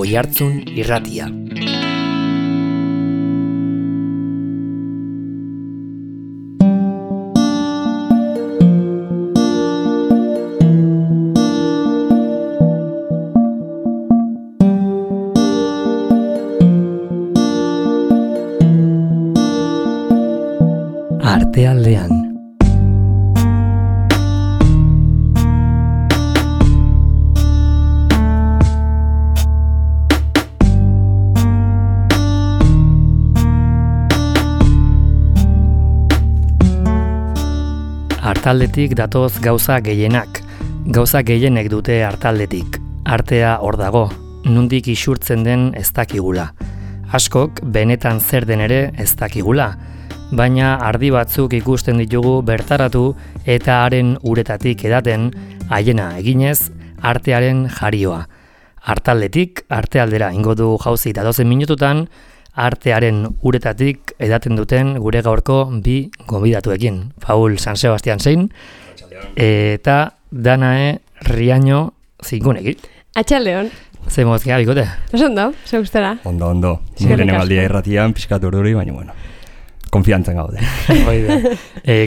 Oihartzun Irratia. Artealdean. Artaldetik datoz gauza gehienak. Gauza gehienek dute artaldetik. Artea hor dago, nondik isurtzen den ez dakigula. Askok benetan zer den ere ez dakigula. Baina ardi batzuk ikusten ditugu bertaratu eta haren uretatik edaten, haiena eginez, artearen jarioa. Artaldetik, artealdera ingo du jauzi datozen minututan, artearen uretatik edaten duten gure gaurko bi gonbidatuekin. Paul San Sebastian zein, eta Danae Riaño zingunekin. Atxaldeon. Ze mozkia, bikote? Ez ondo, ze gustara. Ondo. Nire nebaldia irratian, pixkat urduri, baina bueno. Konfiantzen gaude.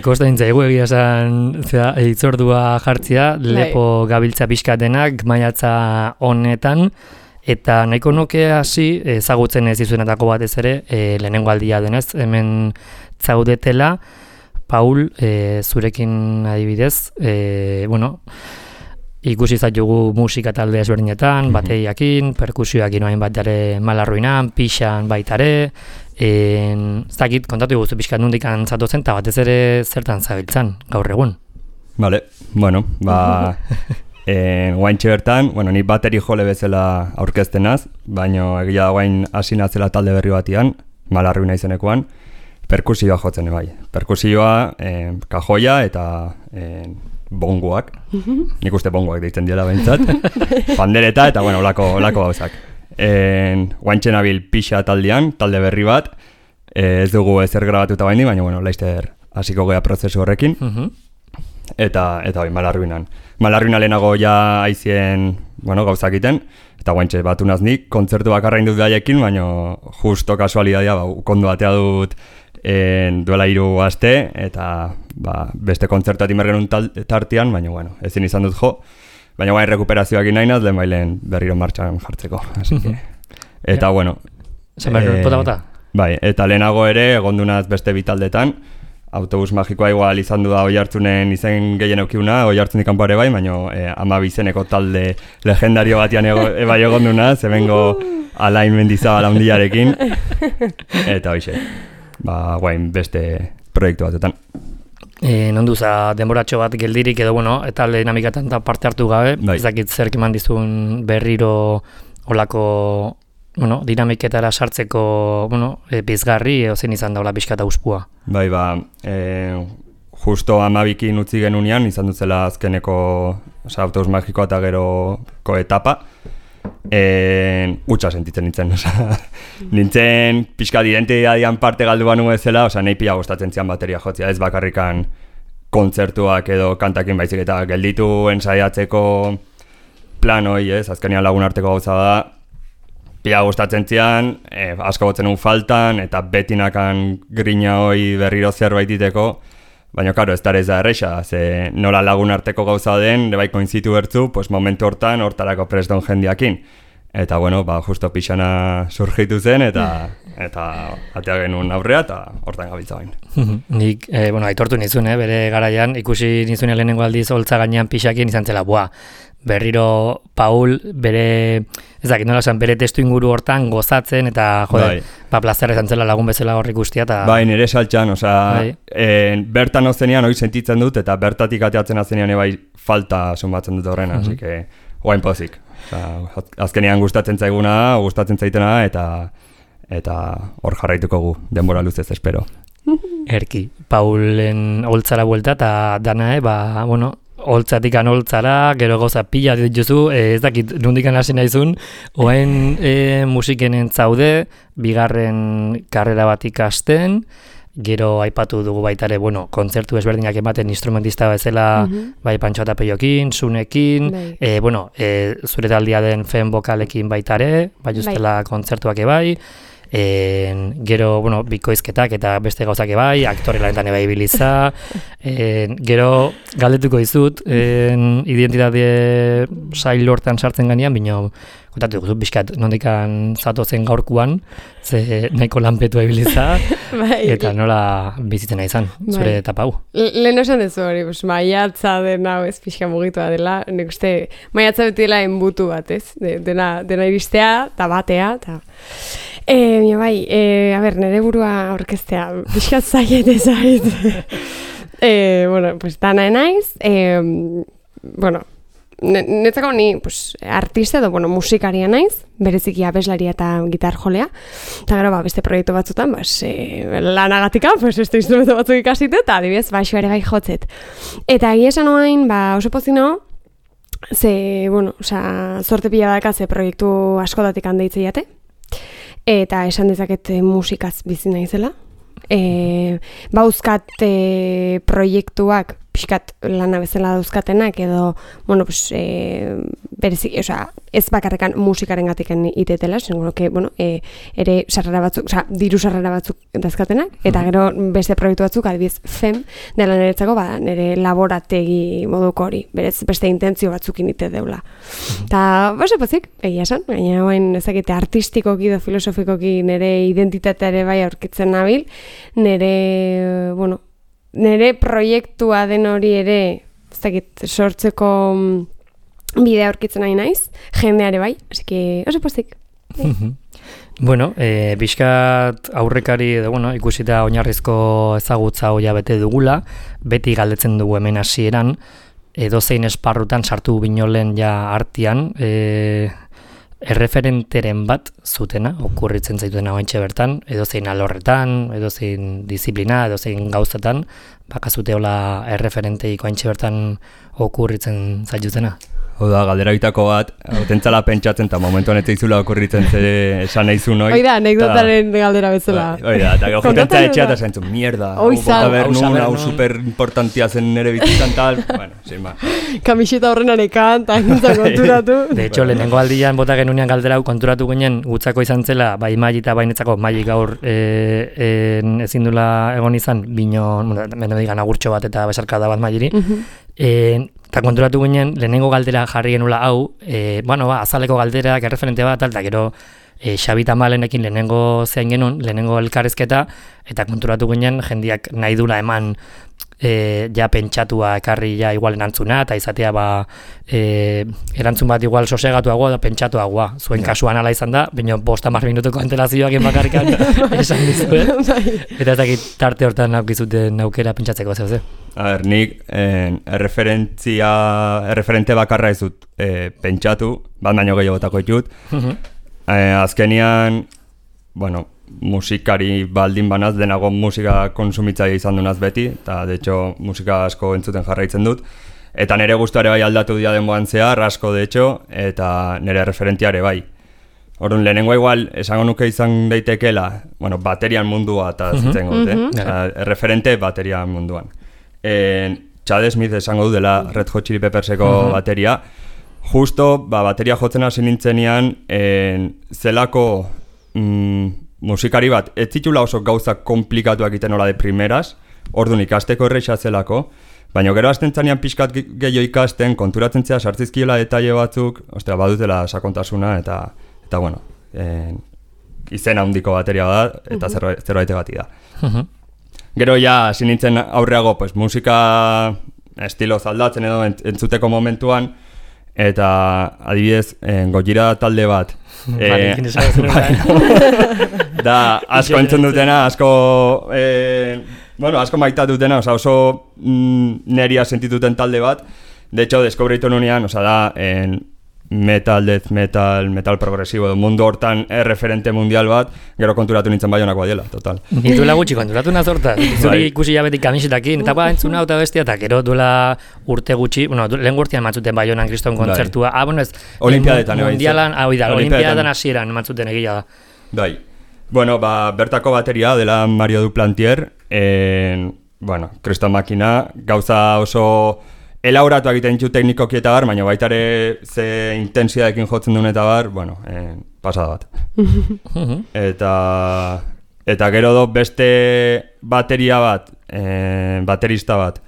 Kosta nintzaigu egia esan itzordua jartzia, lepo gabiltza pixkatenak maiatza honetan, eta nahiko nuke hasi ezagutzen ez izuenetako batez ere, lehenengo aldia denez, hemen zaudetela, Paul, zurekin adibidez, ikusi zaitugu musika talde ezberdinetan, bateiakin, perkusioakin oain bat ere Malarruinan, pixan baitare, zakit, kontatu guztu pixkat nondik zatozen, eta batez ere zertan zabiltzan, gaur egun. Vale, guaintxe bertan, ni bateri jole bezala aurkeztenaz, baina egia da guain hasi nazela talde berri batian, Malarruina izenekoan, perkusioa jotzen bai. Perkusioa, kajoia eta bongoak, nik uste bongoak deitzen diela behintzat, pandereta eta olako gauzak. Guaintxe nabil pixa taldean, talde berri bat, ez dugu ezer grabatuta baini, baina laizter hasiko gea prozesu horrekin, eta Malarruinan. Malarruina lehenago ja aizien gauzak iten, eta guaintxe batu naznik, kontzertu bakarra indut daiekin, baina justo kasualidadia, kondo batea dut duela 3 aste, eta beste kontzertuat inbergenun tartian, baina ezin izan dut jo, baina guain rekuperazioak inainaz, lehen bailen berriro martxan jartzeko. Eta bota? Bai, eta lehenago ere, egondunaz beste bitaldetan, autobus magikoa igual izan du da Oihartzunen izen gehien eukiuna, Oihartzunik kanpoare bai, baina 12 izeneko talde legendario batian bai egondunaz, hemengo Alain Mendizabal handiarekin, eta hoxe, guain beste proiektu batetan. Nonduza denboratxo bat geldirik edo eta dinamikatan parte hartu gabe, ez dakit zerk eman dizun berriro olako dinamiketara sartzeko pizgarri edo zen izan daula pixkata uspua. Bai, justo 12 utzi genunean, izan dutzela azkeneko autobus magikoa eta geroko etapa, utxa sentitzen nintzen, nintzen pixkat identidadian parte galdu banu ezela, nahi pila gustatzen zian bateria jotzia, ez bakarrikan kontzertuak edo kantakin baizik eta gelditu ensaiatzeko plan hoi, azkenean lagun arteko gauza da, pila gustatzen zian, asko gotzen un faltan, eta betinakan grina hoi berriro zerbait diteko, baina, karo, ez da erresa, ze nola lagun arteko gauza den, bai koinzitu bertzu, momentu hortarako preston jendiakin. Eta, justo pixana surgitu zen, eta atea genuen aurrea, eta hortan gabiltza bain. Nik, aitortu nizun, bere garaian, ikusi nizun lehenengo aldiz holtza gainean pixakien izan zela, berriro Paul bere, ez dakit nola esan, bere testu inguru hortan gozatzen, eta plazer izan zela lagun bezala horrik guztia. Bai, nire saltxan, bertan ozenean hori sentitzen dut, eta bertatik ateatzen azenean falta sumatzen dut horrena, así que, guain pozik. Azkenean gustatzen zaiguna, gustatzen zaitena, eta hor jarraituko gu, denbora luzez espero. Erki, Paulen holtzara buelta, eta Danae, holtzatik holtzara, gero gauza pila dituzu, ez dakit nondikan hasi naizun, oain musikenen zaude, bigarren karrera bat ikasten, Gero aipatu dugu baita ere, bueno, kontzertu ezberdinak ematen instrumentista bezala, bai Pantxo eta Peiokin, Sunekin, zure taldia den Fen Bokalekin baita ere, bai ustela kontzertuak bai, gero, bikoizketak eta beste gauzak bai, aktore lanetan bai biliza, gero galdetuko dizut, identitate sail hortan sartzen ganean, bino, kontatu dugu, bizkat, nondikan zatozen gaurkuan, ze nahiko lanpetu ebiliza, eta nola bizitzen nahi izan, zure etapa hau. Lehen esan dezu hori, maiatza dena, ez pixka mugitua dela, nik uste, maiatza beti dela enbutu bat, ez? Dena iristea, eta batea, eta... nire burua aurkeztea, pixkat zaiet ezait. Dana naiz, netzako ni artista edo musikaria naiz, bereziki abeslaria eta gitar jolea, eta gero beste proiektu batzutan lanagatika, beste instrumento batzuk ikasite, eta adibidez baixo ere bai jotzet. Eta egia esan orain oso pozino, zorte pila badaka ze proiektu askotatik handeitze jate, eta esan dezaket musikaz bizi naizela. Bauzkat proiektuak pixkat lana bezala dauzkatenak edo, berezik, ez bakarrekan musikaren gatiken itetela, ere sarrera batzuk, diru sarrera batzuk dauzkatenak, eta gero beste proiektu batzuk, adibidez, FEM, dela niretzako, nire laborategi moduko hori, beste intentzio batzukin ite deula. Eta, pozik, egia esan, baina hain ezakite artistikoki edo filosofikoki nire identitateare bai aurkitzen nabil, nire proiektua den hori ere, ez dakit, sortzeko bidea aurkitzen nahi naiz, jendeare bai, así que oso pozik. Bizkat aurrekari edo, ikusita oinarrizko ezagutza hoia bete dugula, beti galdetzen dugu hemen hasieran, edozein esparrutan sartu binolen ja artean, erreferenteren bat zutena, okurritzen zaituen hauentxe bertan, edozein alorretan, edozein disiplina, edozein gauzetan, bakazute hola erreferenteiko hauentxe bertan okurritzen zaituzena. Oda, galdera bitako bat, autentzala pentsatzen, eta momentu honetan izula okurritzen esan nahi zuen hoi. Oida, anekdotaren galdera bezala. Oida, eta jotentza etxea eta zaintzun, mierda, hau super importantia zen nire bizitzan tal, sin ma. Kamiseta horren anekan, eta gintzen konturatu. De hecho, lehenengo aldian bota genunean galdera hau konturatu ginen, gutzako izan zela, bai maili eta bainetzako maili gaur ezin dula egon izan, bino, beno digan agurtxo bat eta besarkada bat mailiri, eta konturatu ginen, lehenengo galdera jarri genula hau, azaleko galderak, erreferente bat, eta gero Xabi Tamalenekin lehenengo zein genuen, lehenengo elkarrizketa, eta konturatu ginen jendiak nahi dula eman ja pentsatua ekarri ja igual erantzuna, eta izatea erantzun bat igual sosegatuagoa da pentsatuagoa. Zuen kasuan ala izan da, baina 50 minutuko antelazioak bakarrikan esan dizuen. Eta ez dakit tarte hortan aukizuten aukera pentsatzeko zeu. A ber, nik erreferente bakarra ez dut pentsatu, bat baino gehiagotako ditut. Azkenian, musikari baldin banaz, denago musika konsumitzaile izan dunaz beti, eta de hecho musika asko entzuten jarraitzen dut. Eta nire gustuare bai aldatu dira denboan zehar, asko de hecho, eta nire referentiare bai. Orduan, lehenengo igual, esango nuke izan daitekela, baterian mundua eta zitzen gut, referente baterian munduan. Chad Smith esango du dela Red Hot Chili Pepperseko bateria. Justo, bateria jotzen hasi nintzenean, zelako musikari bat, ez zitula oso gauzak komplikatuak egiten nola de primeras, orduan ikasteko erreixa zelako, baina gero hasten zanean pixkat gehiago ikasten, konturatzen zea sartzizkiela detaile batzuk, badutela sakontasuna, eta izen handiko bateria da, eta zerbaite bati da. Gero ja, hasi nintzen aurreago, musika estilo zaldatzen edo entzuteko momentuan, eta adibidez, Gojira talde bat, da asko entzun dutena, asko maitatu dutena, oso neria sentituten talde bat. De hecho, deskubritu nunean, da metal, death metal, metal progresibo, mundu hortan referente mundial bat, gero konturatu nintzen Baionakoa diela, total. Duela gutxi konturatu nazorta, zuri ikusi jabetik kamisetakin, eta entzuna eta bestia, eta gero duela urte gutxi, lehen gurtian matzuten Baionan kriston kontzertua, Olimpiadetan, mundialan, Olimpiadetan hasieran matzuten egia da. Bai, bertako bateria dela Mario Duplantier, bueno, kriston makina, gauza oso elaboratu egiten ditu teknikoki eta bar, baina baita ere ze intensidadekin jotzen duen eta bar, bueno, pasada bat. Eta gero beste bateria bat, baterista bat,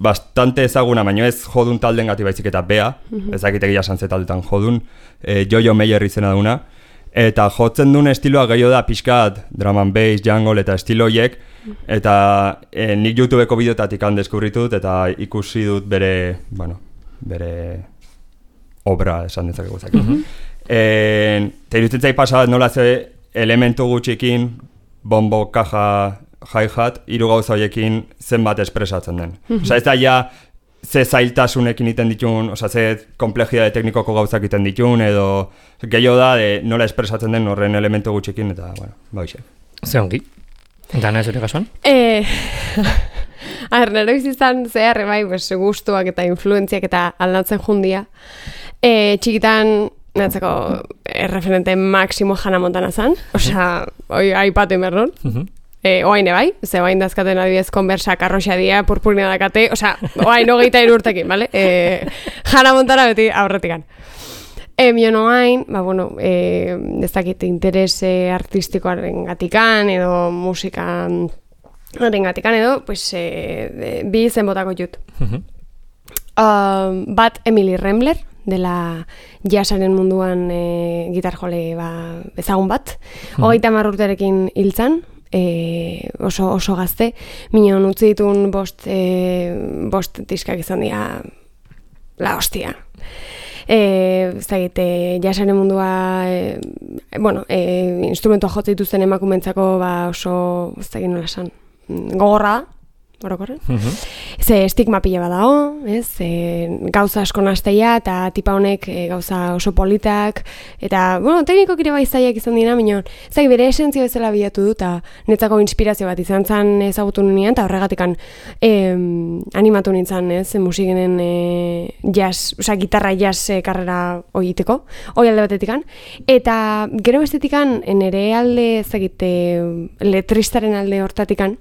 bastante ezaguna, baina ez jodun talden gati baizik eta bea, ezakit egia santze taldetan jodun, Jojo Meyer izena duna, eta jotzen duen estiloa gehiago da pixkat, drum and bass, jungle eta estiloiek, eta nik YouTubeko bideotatik deskubritu dut eta ikusi dut bere obra esan dezakegu zaki. Eta irutzen zait pasabat nola ze elementu gutxikin, bombo, kaja, hi-hat, hiru gauza horiekin zenbat espresatzen den. Osa ez da ja ze zailtasunekin iten ditun, osa ze komplejidade teknikoko gauzak iten ditun, edo gehiago da nola espresatzen den horren elementu gutxikin, eta, bueno, baixe. Ze ongi. Dana ez hori kasuan? Nero izizan zehar, bai, gustuak eta influentziak eta aldatzen jundia. Txikitan, natzeko erreferente maksimo Hannah Montana zan, osea, aipatu inbernon. Oain bai, ze oain dazkaten adibidez konbersak arroxa dia, purpurina dakate, osea, oain 23 urtekin, bale? Hannah Montana beti aurretikan. Mion oain, ez dakit interes artistikoaren gatikan, edo musikan gatikan, edo, pues, bi zen botako jut. Bat Emily Rembler, dela jazzaren munduan gitar jole ezagun bat. 30 urterekin hiltzan, oso gazte, minon utzi ditun bost diskak izan dira la hostia. Jazzaren mundua, instrumentua jotzen dituzten emakumentzako oso, ez dakit nola esan, gogorra da. Orokorren. Ze estigma pila badao, gauza asko nasteia eta tipa honek gauza oso politak eta, tekniko kire bai zaiak izan dira, minon, bere esentzio bezala bilatu du eta netzako inspirazio bat izan zan ezagutu nian eta horregatikan animatu nintzen, musikenen gitarra jazz karrera oiteko, hoi alde batetikan, eta gero bestetikan nere alde letristaren alde hortatikan,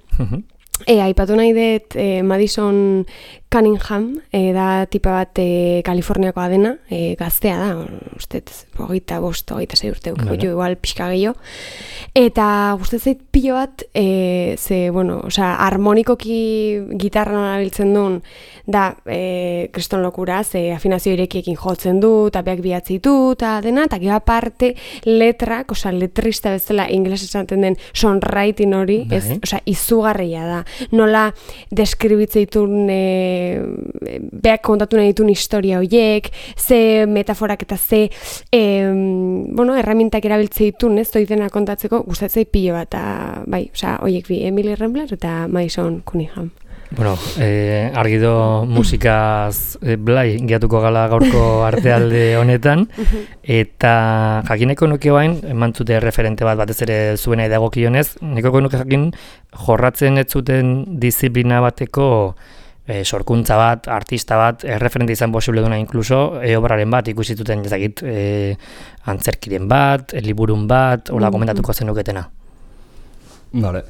aipatu nahi dut Madison Cunningham, da tipa bat Kaliforniakoa dena, gaztea da, ustez, 25-26 urte ukiko igual pixka gehiago. Eta guztet zait pilo bat, harmonikoki gitarra nola biltzen duen, da, kriston lokura, afinazio irekiekin jotzen du, eta beak bihatzi du, eta dena, eta gero aparte letrak, letrista bezala ingles esaten den songwriting hori, izugarria da. Nola deskribitzea beak kontatu nahi ditun historia horiek, ze metaforak eta ze erramintak erabiltze ditun, doidena kontatzeko, gustatzei pilo bat, bai, horiek bi, Emily Rembler eta Madison Cunningham. Bueno, argi do musikaz blai gehiatuko gala gaurko artealde honetan, eta jakineko nuke bain, emantzute referente bat batez ere zuena edagokionez, neko nuke jakin jorratzen ez zuten disiplina bateko sorkuntza bat, artista bat, referente izan posible duna inkluso, obraren bat ikusi zuten ezagit antzerkiren bat, liburun bat, hola komentatuko zenuketena. Vale.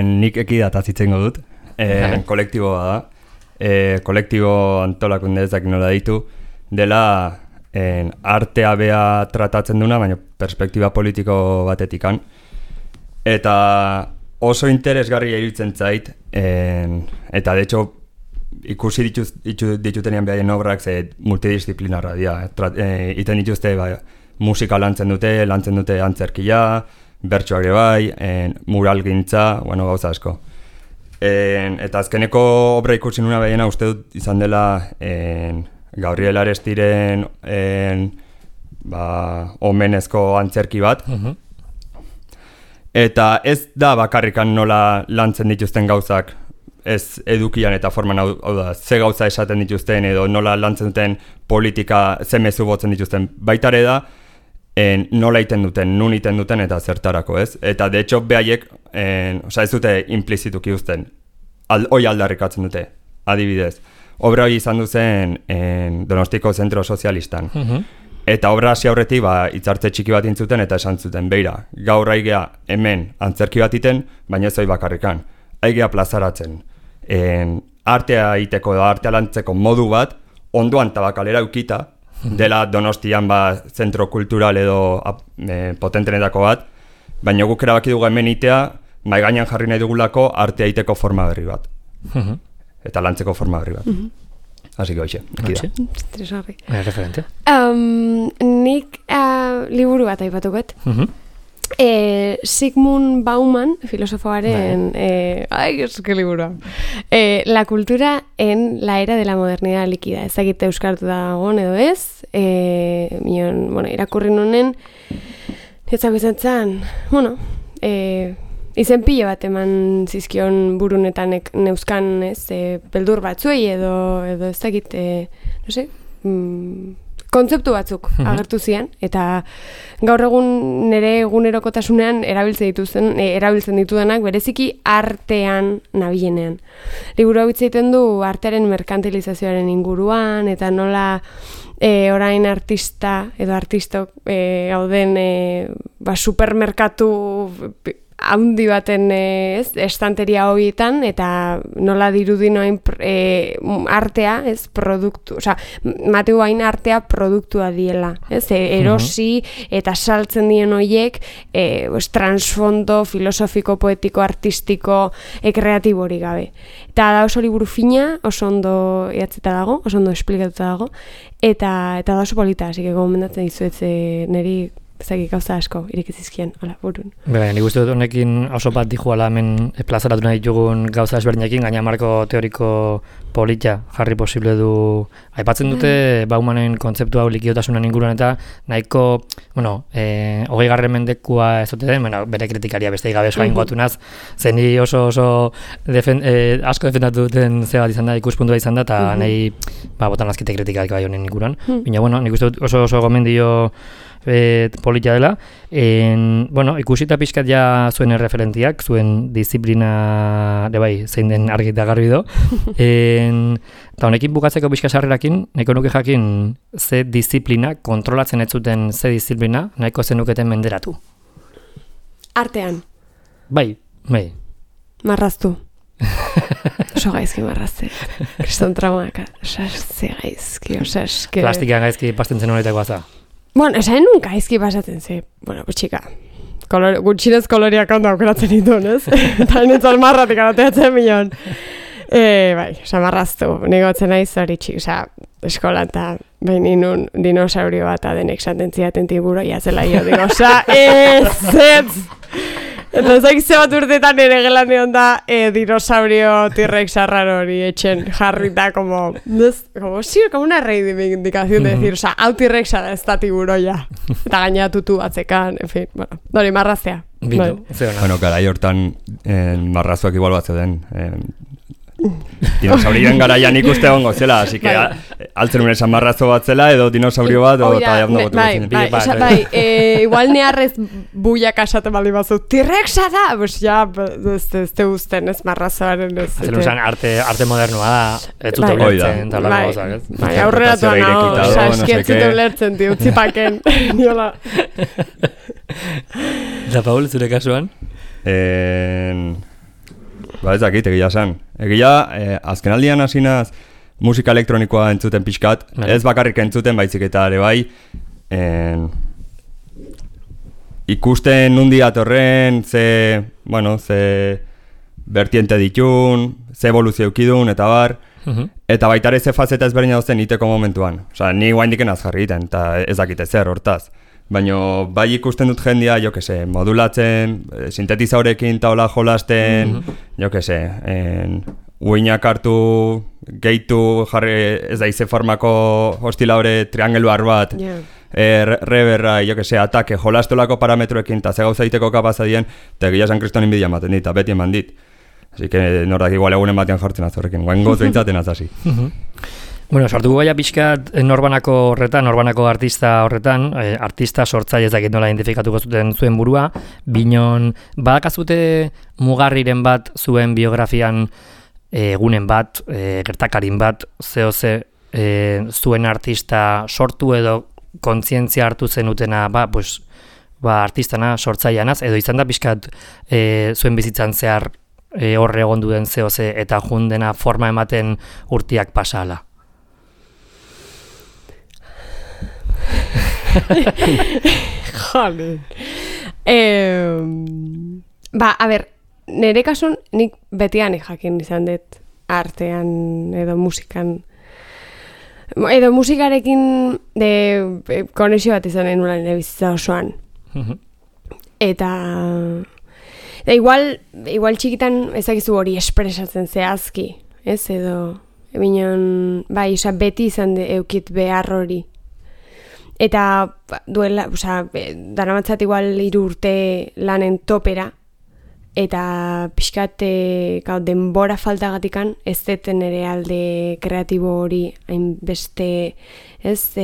Nik ekidataz itzen dut. Kolektiboa da. Kolektibo antolakunde ezak nola ditu, dela artea bea tratatzen duna, baina perspektiba politiko batetikan. Eta oso interesgarria iruditzen zait, eta de hecho ikusi ditutenean behaien obrak multidisciplinarra dira. Iten dituzte musika lantzen dute antzerkia, bertsoak ere bai, muralgintza, gauza asko. Eta azkeneko obra ikusi nuna behiena uste dut izan dela Gabriel Arestiren omenezko antzerki bat. Eta ez da bakarrikan nola lantzen dituzten gauzak ez edukian eta forman hau da, ze gauza esaten dituzten edo nola lantzen duten politika ze mezu botzen dituzten. Baitare da nola iten duten, nun iten duten eta zertarako, ez? Eta de hecho behaiek, ez dute implizituki uzten, hoi aldarrikatzen dute, adibidez. Obra hori izan duzen Donostiko Zentro Sozialistan. Eta obra hasi aurretik hitzartze txiki bat intzuten eta esan zuten, beira, gaur aigea hemen antzerki bat iten, baina ez hori bakarrikan. Aigea plazaratzen. Artea iteko da, artea lantzeko modu bat, ondoan tabakalera eukita, dela Donostian zentro kultural edo potentenetako bat, baina guk erabaki dugu hemen itea, mai gainean jarri nahi dugulako artea iteko forma berri bat. Eta lantzeko forma berri bat. Así que hoxe, Interesgarri. Referente. Nik liburu bat aipatu bet. Sigmund Bauman, filosofoaren, es que liburu. La cultura en la era de la modernidad líquida. Ezagite euskartu dagoen edo ez. Irakurri nunen, etzak bezatzen, izen pilo bat eman zizkion burunetan neuzkan, beldur batzuei edo ez dakit, kontzeptu batzuk agertu zian, eta gaur egun nire egunerokotasunean erabiltzen ditudanak bereziki artean nabilenean. Liburu hau hitz egiten du artearen merkantilizazioaren inguruan, eta nola orain artista edo artistok gauden supermerkatu haundi baten estanteria horietan, eta nola dirudi noain artea, produktu, mateu hain artea produktua diela, erosi eta saltzen dien horiek transfondo filosofiko, poetiko, artistiko, kreatibo hori gabe. Eta da oso liburu fina, oso ondo eatzeta dago, oso ondo esplikatuta dago, eta da oso polita, así que gomendatzen dizuet niri zaki gauza asko irekizizkien, burun. Nik uste dut honekin oso bat dijuala hemen plazaratu nahi ditugun gauza ezberdinekin, gaina marko teoriko polita jarri posible du. Aipatzen dute Baumanen kontzeptu hau likidotasunan inguruan eta nahiko, 20. mendekua ez dute den, bere kritikaria beste gabe oso aingoatu naz, zeni oso asko defendatu duten ze bat izan da, ikuspuntua izan da, eta nahi botan azkite kritikak bai honen inguruan. Baina, nik uste dut oso gomendio polita dela. Ikusita pixkat ja zuen erreferentiak, zuen disiplina zein den argi eta garbi do. Eta honekin bukatzeko pixka sarrerakin, nahiko nuke jakin ze disiplina, kontrolatzen ez zuten ze disiplina, nahiko zenuketen menderatu. Artean. Bai. Marraztu. Oso gaizki marrazte. Kriston traumak. Osasze gaizki, osaske. Plastikan gaizki pastentzen honetako aza. Esan nun gaizki pasatzen ze. Txika. Gutxinez koloriak ondo aukeratzen dituen, ez? Eta nintzen marratik arateatzen milion. Marraztu. Nigotzen naiz hori txik, eskolan eta behin inun dinosaurio bat adenek santentziaten tiburoia zela jo. Ez! Eta ezak bat urtetan ere gelan dion da dinosaurio T-Rex arraro hori etxen jarrita como una reivindicación de decir, hau T-Rexa da ez da tiburoia. Eta gaina tutu batzekan, en fin, dori marraztea. Garai hortan marrazuak igual bat zeuden. Dinosaurioen garaian ikuste egongo zela, así que altzen unen esan marrazo bat zela edo dinosaurio bat eta ondo gotu gotzen. Igual neharrez buiak asaten bali bazu, T-Rexa da! Ez te guzten, ez marrazoaren ez. Altzen usan arte modernoa da, ez dute ulertzen, eta lako gozak, ez? Aurreratuan hau, eskientzute ulertzen, utzipaken, niola. Eta Paul, zure kasuan? Ez dakit, egia san. Egia, azkenaldian hasinaz musika elektronikoa entzuten pixkat, ez bakarrik entzuten baizik eta ere bai, ikusten nundi atorren, ze vertiente ditun, ze evoluzio eukidun, eta bar, eta baitare ze fazeta ezberdina dozten iteko momentuan. Ni guaindiken azjarri egiten, eta ez dakite zer hortaz. Baina bai ikusten dut jendia, modulatzen, sintetizaurekin taola jolasten, uinak hartu, gehitu, jarri ez da ize formako hostilaure triangeluar bat, reverra, atake, jolastolako parametroekin, eta ze gauza diteko kapazadien, eta egia San Kriston inbidia ematen dit, eta beti eman dit. Así que nordak igual egunen batean jartzen azorrekin, guain goz behintzaten azasi. Sartuko gaia pixkat norbanako horretan, norbanako artista horretan, artista sortzaile ez dakit nola identifikatuko zuen burua, binon badakazute mugarriren bat zuen biografian egunen bat, gertakarin bat, zuen artista sortu edo kontzientzia hartu zenutena, artistana, sortzaileanaz, edo izan da pixkat zuen bizitzan zehar horre egon duen zehoze eta jundena forma ematen urtiak pasala? Jale. A ber, nire kasun nik betian jakin izan dut artean edo musikan. Edo musikarekin konexio bat izan nuen nire bizitza osoan. Eta igual txikitan ezakizu hori espresatzen zehazki, ez? Edo beti izan eukit behar hori. Eta duela, daramatzat igual 3 urte lanen topera, eta pixkat denbora faltagatikan ez deten ere alde kreatibo hori hainbeste, ez?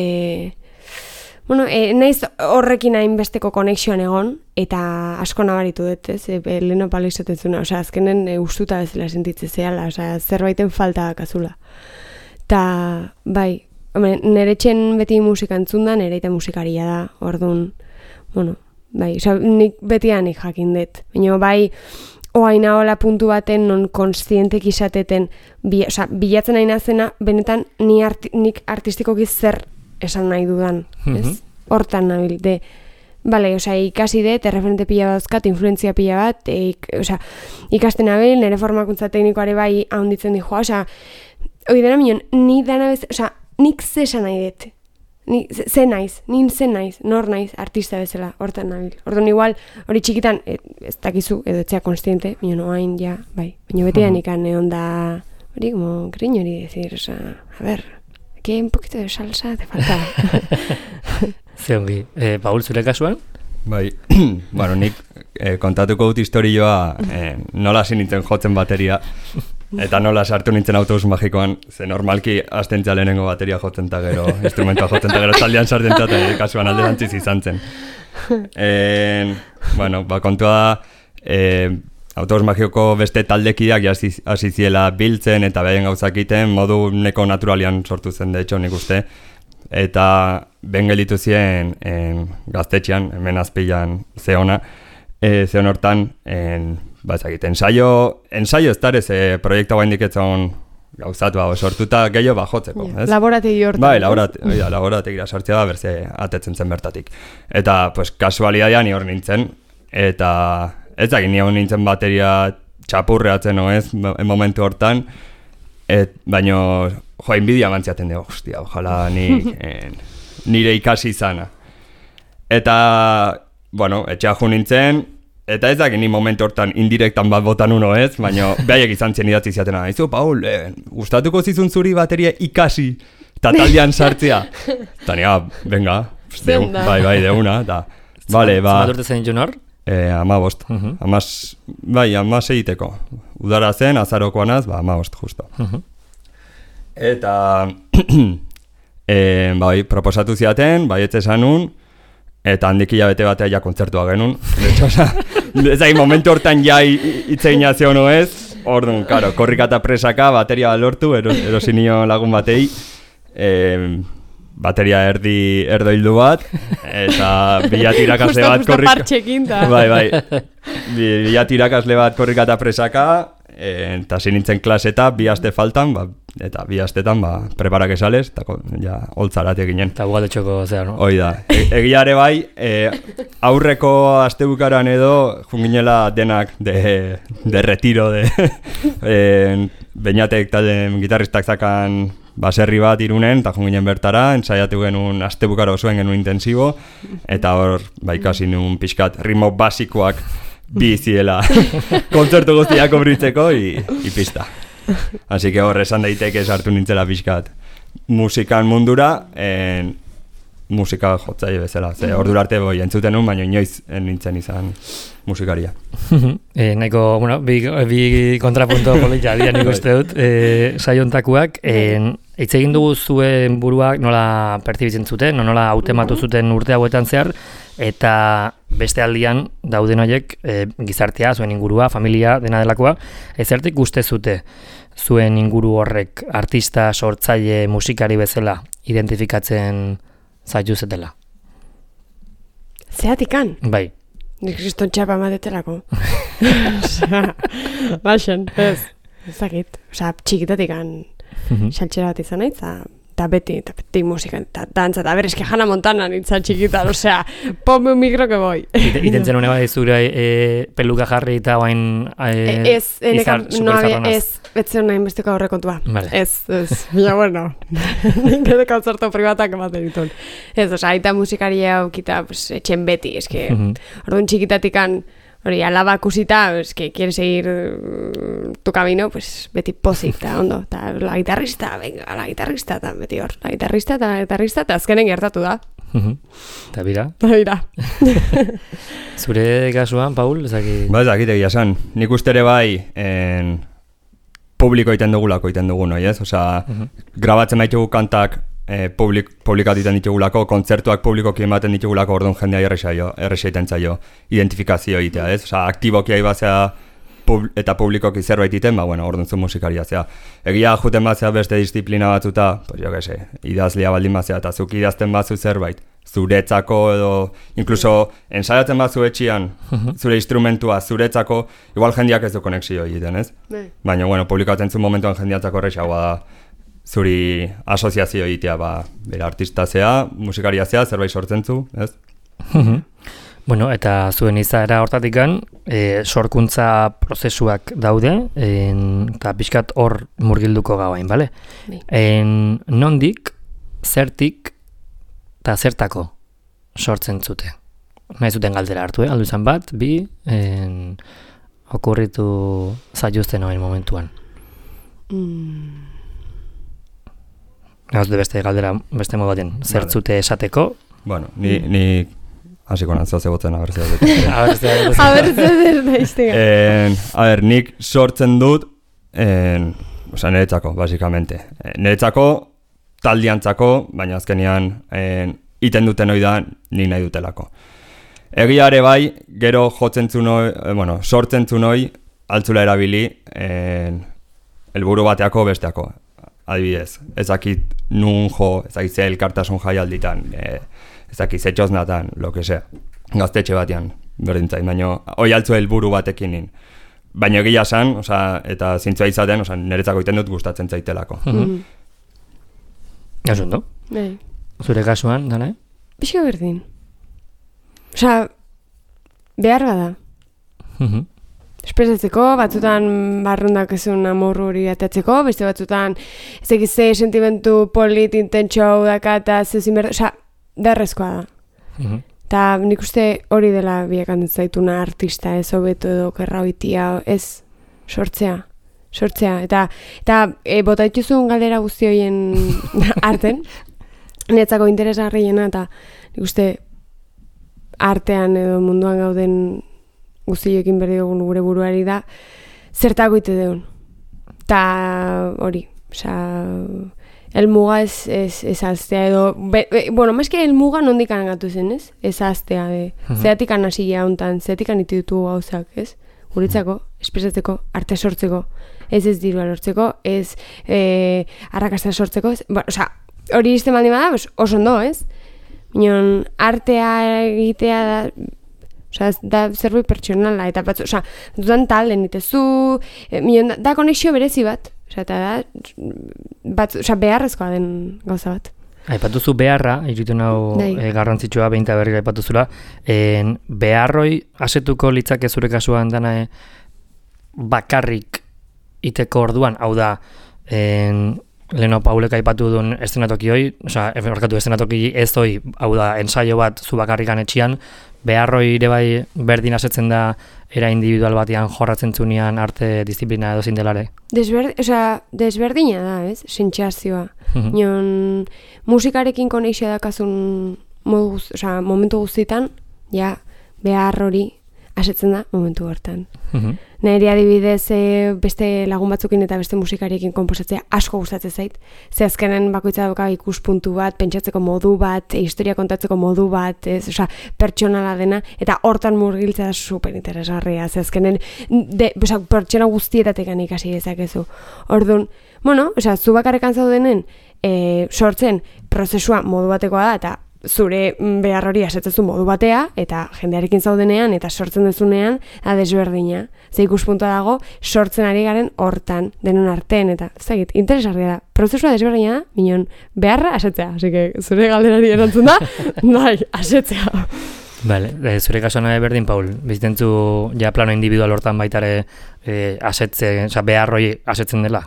Naiz horrekin hainbesteko konexioan egon, eta asko nabaritu dut, ez? Leno palo izaten zuna, azkenen ustuta bezala sentitzen zehala, zerbaiten falta dakazula. Ta, bai, nire txen beti musika entzun da, nire eta musikaria da, orduan, nik betianik jakin dut. Baina bai, oaina hola puntu baten non konstientek izateten, bilatzen nahi nazena, benetan nik artistikoki zer esan nahi dudan, ez? Hortan nabil, ikasi dut, erreferente pila bat dauzkat, influentzia pila bat, ikasten nabil, nire formakuntza teknikoare bai ahonditzen dihoa, hori dena minon, nik zesan nahi dut, zen naiz, nor naiz, artista bezala, hortan nabil. Orduan igual, hori txikitan, ez dakizu, edo etxea konstiente, minon oain, ja, bai, baina betian ikan egon da, hori, como, griño hori decir, a ver, aquí un poquito de salsa te falta. Zeongi, Paul, zure kasuan? Bai, nik kontatuko dut historioa nola hasi nintzen jotzen bateria, eta nola sartu nintzen autobus magikoan, ze normalki hasten lehenengo bateria jotzen eta gero, instrumentua jotzen eta gero taldean sartzen eta kasuan alderantziz izan zen. Kontua da, autobus magikoko beste taldekiak hasi ziela biltzen eta behaien gauzak egiten, modu neko naturalian sortu zen, de hecho, nik uste, eta ben gelditu ziren gaztetxean, hemen azpilan zeona hortan, ensaio ez darez proiektu guain diketzen gauzatu sortuta gehiago jotzeko. Laborategi hortan. Bai, laborategira sartzea da, berze atetzen zen bertatik. Eta, kasualitatea ni hor nintzen, eta ez dakit ni hor nintzen bateria txapurreatzen, ez, momentu hortan, baina, inbidia mantziaten dugu, hostia, ojala nire ikasi izana. Eta, etxea jo nintzen, eta ez dakit ni momentu hortan indirektan bat botan uno ez, baina behaiek izan zien idatzi ziatena. Izu, Paul, gustatuko zizun zuri bateria ikasi eta taldean sartzea. Eta nire, venga, bai, deuna. Zmat urte zen junor? 15. 16 egiteko. Udara zen, azarokoanaz, 15, justo. Eta, proposatu ziaten, baietze zanun, eta handik hilabete batea ja kontzertua genuen. Ez da, momentu hortan ja itzegina zehono ez, orduan, karo, korrika eta presaka, bateria lortu, erosinio lagun batei, bateria erdoildu bat, eta bilat irakasle bat korrika... Bai, bilat irakasle bat korrika eta presaka, eta zinintzen klaseta, 2 aste faltan, eta 2 astetan preparak esales, eta ja, holtzarat eginen. Eta gugaletxoko zera, no? Hoi da. Egiare bai, aurreko astebukaran edo, junginela denak de retiro, Beñatek talde gitarristak zakan baserri bat Irunen, eta junginen bertara, ensaiatu genuen astebukaro zuen genuen intensibo, eta hor, ikasi nuen pixkat ritmo basikoak biziela kontzertu guztiak obritzeko, pista. Así que hor esan daiteke sartu nintzela pixkat musikan mundura, musika jotzaile bezala. Ordura arte entzuten nuen, baina inoiz nintzen izan musikaria. Nahiko, bi kontrapunto politia dira nik uste dut, saiontakuak. Hitz egin dugu zuen buruak nola pertsibitzen zuten, nola hautematu zuten urte hauetan zehar, eta beste aldian dauden horiek gizartea, zuen ingurua, familia, dena delakoa, ezertik uste zute zuen inguru horrek artista, sortzaile, musikari bezala identifikatzen zaiuzetela. Zeatikan? Bai. Nik kriston txapa ematetelako. Baxen, ez. Ezakit. Osa, txikitatikan xaltxera bat izan nahi, eta beti musika, eta dantza, eta berezke Hannah Montana nintzen txikitan, osea, ponme un micro que voy. Itentzen hone bai zure peluka jarri eta bain izar superizarronaz. Ez, betzen nahi besteko aurrekontua. Vale. Ez, bila bueno, nire kontzerto privatak ematen ditun. Ez, osea, aita musikaria aukita, pues, etxen beti, eske, orduan txikitatikan, hori, alaba kusita, eske, quiere seguir tu camino, pues, beti pozik, eta ondo, eta la guitarrista, venga, la guitarrista, eta beti hor, la guitarrista, eta azkenen gertatu da. Eta bira. Zure kasuan, Paul, ezaki... Ba, ezakit egia esan. Nik uste ere bai, publiko iten dugulako iten dugu, noi, ez? Osea, grabatzen baitugu kantak publikatu iten ditugulako, kontzertuak publikoki ematen ditugulako, orduan jendea erresa iten zaio identifikazio egitea, ez? Osea, aktiboki aibazea eta publikoki zerbait iten, ba, bueno, orduan zu musikaria zea. Egia juten batzea beste disiplina batzuta, pues jo que se, idazlia baldin batzea, eta zuk idazten batzu zerbait, zuretzako edo, incluso ensaiatzen batzu etxian, zure instrumentua zuretzako, igual jendeak ez du konexio egiten, ez? Baina, bueno, publikatzen zu momentuan jendeatzako erresagoa da, zuri asoziazio egitea, ba, bera artista zea, musikaria zea, zerbait sortzen zu, ez? Bueno, eta zuen izaera hortatikan, sorkuntza prozesuak daude, eta pixkat hor murgilduko gauain, bale? Nondik, zertik, eta zertako sortzen zute. Nahi zuten galdera hartu, aldu izan bat, bi, okurritu zaiuzten hoen momentuan. Gauz de beste galdera, beste modu baten, zertzute esateko? Bueno, ni hasiko nantzoa zebotzen abertzea. A ber, nik sortzen dut, osea, niretzako, basikamente. Niretzako, taldiantzako, baina azkenean iten duten hori da nik nahi dutelako. Egiare bai, gero jotzen zunoi, sortzen zunoi, altzula erabili, helburu bateako besteako. Adibidez, ezakit nun jo, ezakit ze elkartasun jaialditan, ezakit ze txosnatan, lo que sea, gaztetxe batean, berdintzait, baina hoi altzu helburu batekin nin. Baina egia esan, eta zintzua izaten, niretzako iten dut gustatzen zaitelako. Ez ondo? Zure kasuan, dana? Pixka berdin. Osea, behar bada. Espresatzeko, batzutan barrundak ezun amorru hori atatzeko, beste batzutan ez egize sentimentu polit intentxo daka eta zezin berda, osea, derrezkoa da. Eta nik uste hori dela biakantzen zaituna artista, ez hobeto edo kerra hoitia, ez sortzea. Eta bota dituzun galdera guzti horien arten, netzako interesgarriena, eta nik uste artean edo munduan gauden guztioekin berdi dugun gure buruari da, zertako ite deun. Ta hori, elmuga ez aztea edo, bueno, mazke elmuga nondikan gatu zen, ez? Ez aztea, zeatikan hasi jauntan, zeatikan ite dutu gauzak, ez? Guretzako, espresatzeko, arte sortzeko, ez dirua lortzeko, ez arrakasta sortzeko, hori izten baldin bada, oso ondo, ez? Minon, artea egitea da, da zerbait pertsonala, eta dudan talden itezu, da konexio berezi bat, eta da, beharrezkoa den gauza bat. Aipatuzu beharra, iritu nau garrantzitsua behinta berrira aipatuzula, beharroi asetuko litzake zure kasuan dana bakarrik iteko orduan, hau da, Leno Paulek aipatu duen eszenatoki hoi, eszenatoki ez hoi, hau da, ensaio bat zu bakarrikan etxian, beharroi ere bai berdin asetzen da era individual batean jorratzen zunean arte disiplina edo zindelare? Desberdina da, ez? Sentsazioa. Nion musikarekin konexioa dakazun momentu guztietan, ja, behar hori asetzen da momentu hortan. Nire adibidez beste lagun batzukin eta beste musikariekin konposatzea asko gustatzen zait. Ze azkenen bakoitza dauka ikuspuntu bat, pentsatzeko modu bat, historia kontatzeko modu bat, pertsonala dena, eta hortan murgiltzea da super interesgarria. Ze azkenen pertsona guztietatekan ikasi dezakezu. Orduan, zu bakarrekan zaudenen sortzen prozesua modu batekoa da, eta zure behar hori asetzezu modu batea, eta jendearekin zaudenean, eta sortzen dezunean, desberdina. Ze ikuspuntua dago, sortzen ari garen hortan, denon artean, eta zagit, interesgarria da. Prozesua desberdina da, minon, beharra asetzea. Así que, zure galderari erantzun da, bai, asetzea. Vale, zure kasuan berdin, Paul, bizitentzu ja plano individual hortan baitare asetze, beharroi asetzen dela?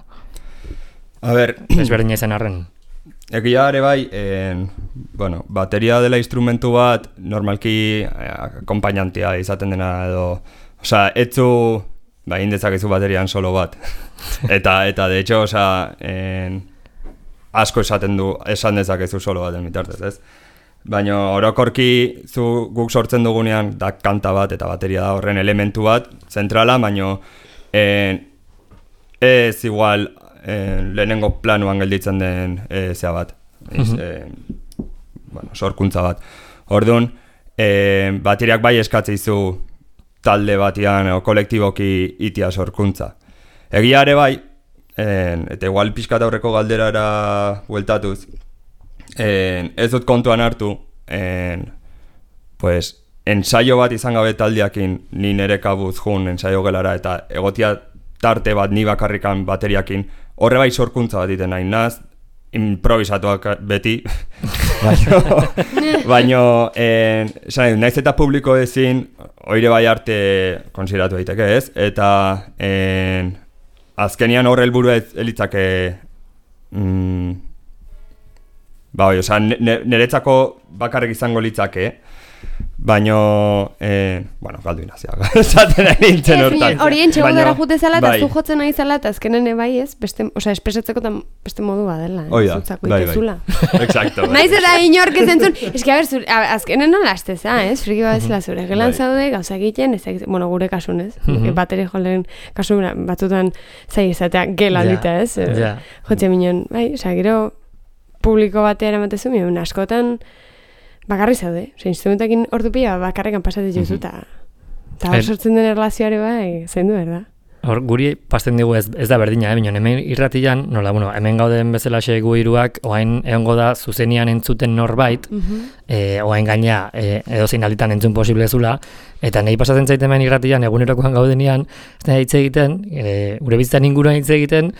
A ber, desberdina izan arren. Egia ere bai, bueno, bateria dela instrumentu bat, normalki akompainantia izaten dena edo, osea, etzu, indezakezu baterian solo bat. eta de hecho, osea, asko esan dezakezu solo baten bitartez, ez? Baina orokorki guk sortzen dugunean da kanta bat eta bateria da horren elementu bat, zentrala, baina ez igual lehenengo planuan gelditzen den zea bat, bueno, sorkuntza bat. Orduan, bateriak bai eskatzeizu talde batian o kolektiboki itia sorkuntza. Egia ere bai, eta igual pixkat aurreko galderara bueltatuz, ez dut kontuan hartu, pues, ensaio bat izan gabe taldiakin, ni nere kabuz jun ensaio gelara, eta egotia tarte bat ni bakarrikan bateriakin, horre bai sorkuntza bat iten nahi, naz, improvisatuak beti, baino, naiz eta publiko ezin, oire bai arte konsideratu daiteke ez, eta azkenian horre helburu elitzake, niretzako bakarrik izango litzake, baino, bueno, galdu inazia, esaten nahi nintzen hortan. Horien txego dara jute zela eta zu jotzen nahi zela eta azkenen bai ez, espresatzeko eta beste modu badela. Oida, bai. Exacto. Naiz eta inork ez entzun, eski azkenen nola asteza, ez? Friki badezela zure, gelan zaude, gauza egiten, bueno, gure kasun, ez? Bateri jolen kasun batzutan zai izatea gela dita, ez? Jotze minon, bai, gero publiko batea eramatezu, minon, askotan bakarri zaude, instrumentakin ordu pila bakarrekan pasatzen juzu, eta hor sortzen den erlazioare bai, zein du, berda? Hor, guri pasten digu ez da berdina, minon, hemen irratian, nola, bueno, hemen gauden bezala gu hiruak, oain egongo da zuzenian entzuten norbait, oain gaina edozein alditan entzun posible zula, eta nahi pasatzen zaiten hemen irratian, egunerokoan gaudenian, ez da hitz egiten, gure bizitzan inguruan hitz egiten,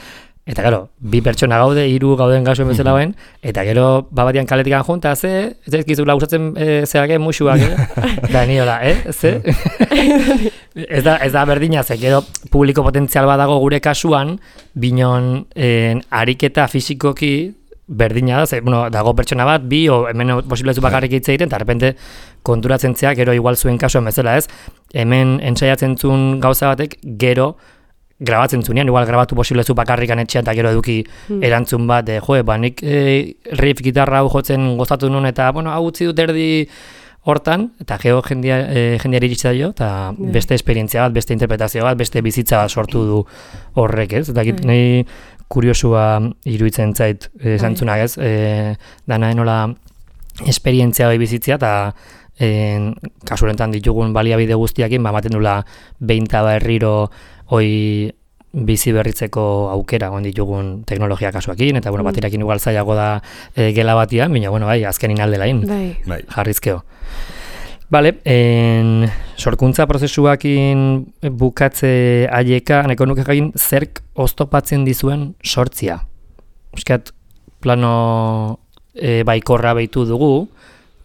eta gero, bi pertsona gaude, 3 gauden gasuen bezala bain, eta gero, babatian kaletikan junta, ez ezkizula usatzen zeake musuak, da niola, ze? Ez da berdina, ze gero publiko potentzial badago gure kasuan, binon ariketa fisikoki berdina da, ze, bueno, dago pertsona bat, bi, o hemen posible zu bakarrik hitz egiten, eta repente konturatzen zeak, gero igual zuen kasuan bezala, ez? Hemen entsaiatzen zuen gauza batek, gero grabatzen zunean, igual grabatu posible zu bakarrikan etxean eta gero eduki erantzun bat, nik riff gitarra hau jotzen gozatu nuen eta, bueno, hau utzi dut erdi hortan, eta gero jendeari iritsi da eta beste esperientzia bat, beste interpretazio bat, beste bizitza bat sortu du horrek, ez? Eta nahi kuriosua iruditzen zait zantzunak, ez? Dana enola esperientzia hori bizitzia eta kasurentan ditugun baliabide guztiakin, ematen dula behin berriro hoi bizi berritzeko aukera ditugun teknologia kasuakin, eta bueno, baterakin igual zailago da gela batian, baina bueno, bai, azkenin aldelain, jarrizkeo. Bale, sorkuntza prozesuakin bukatze aieka, nahiko nuke jakin, zerk oztopatzen dizuen sortzia. Euskat, plano baikorra behitu dugu,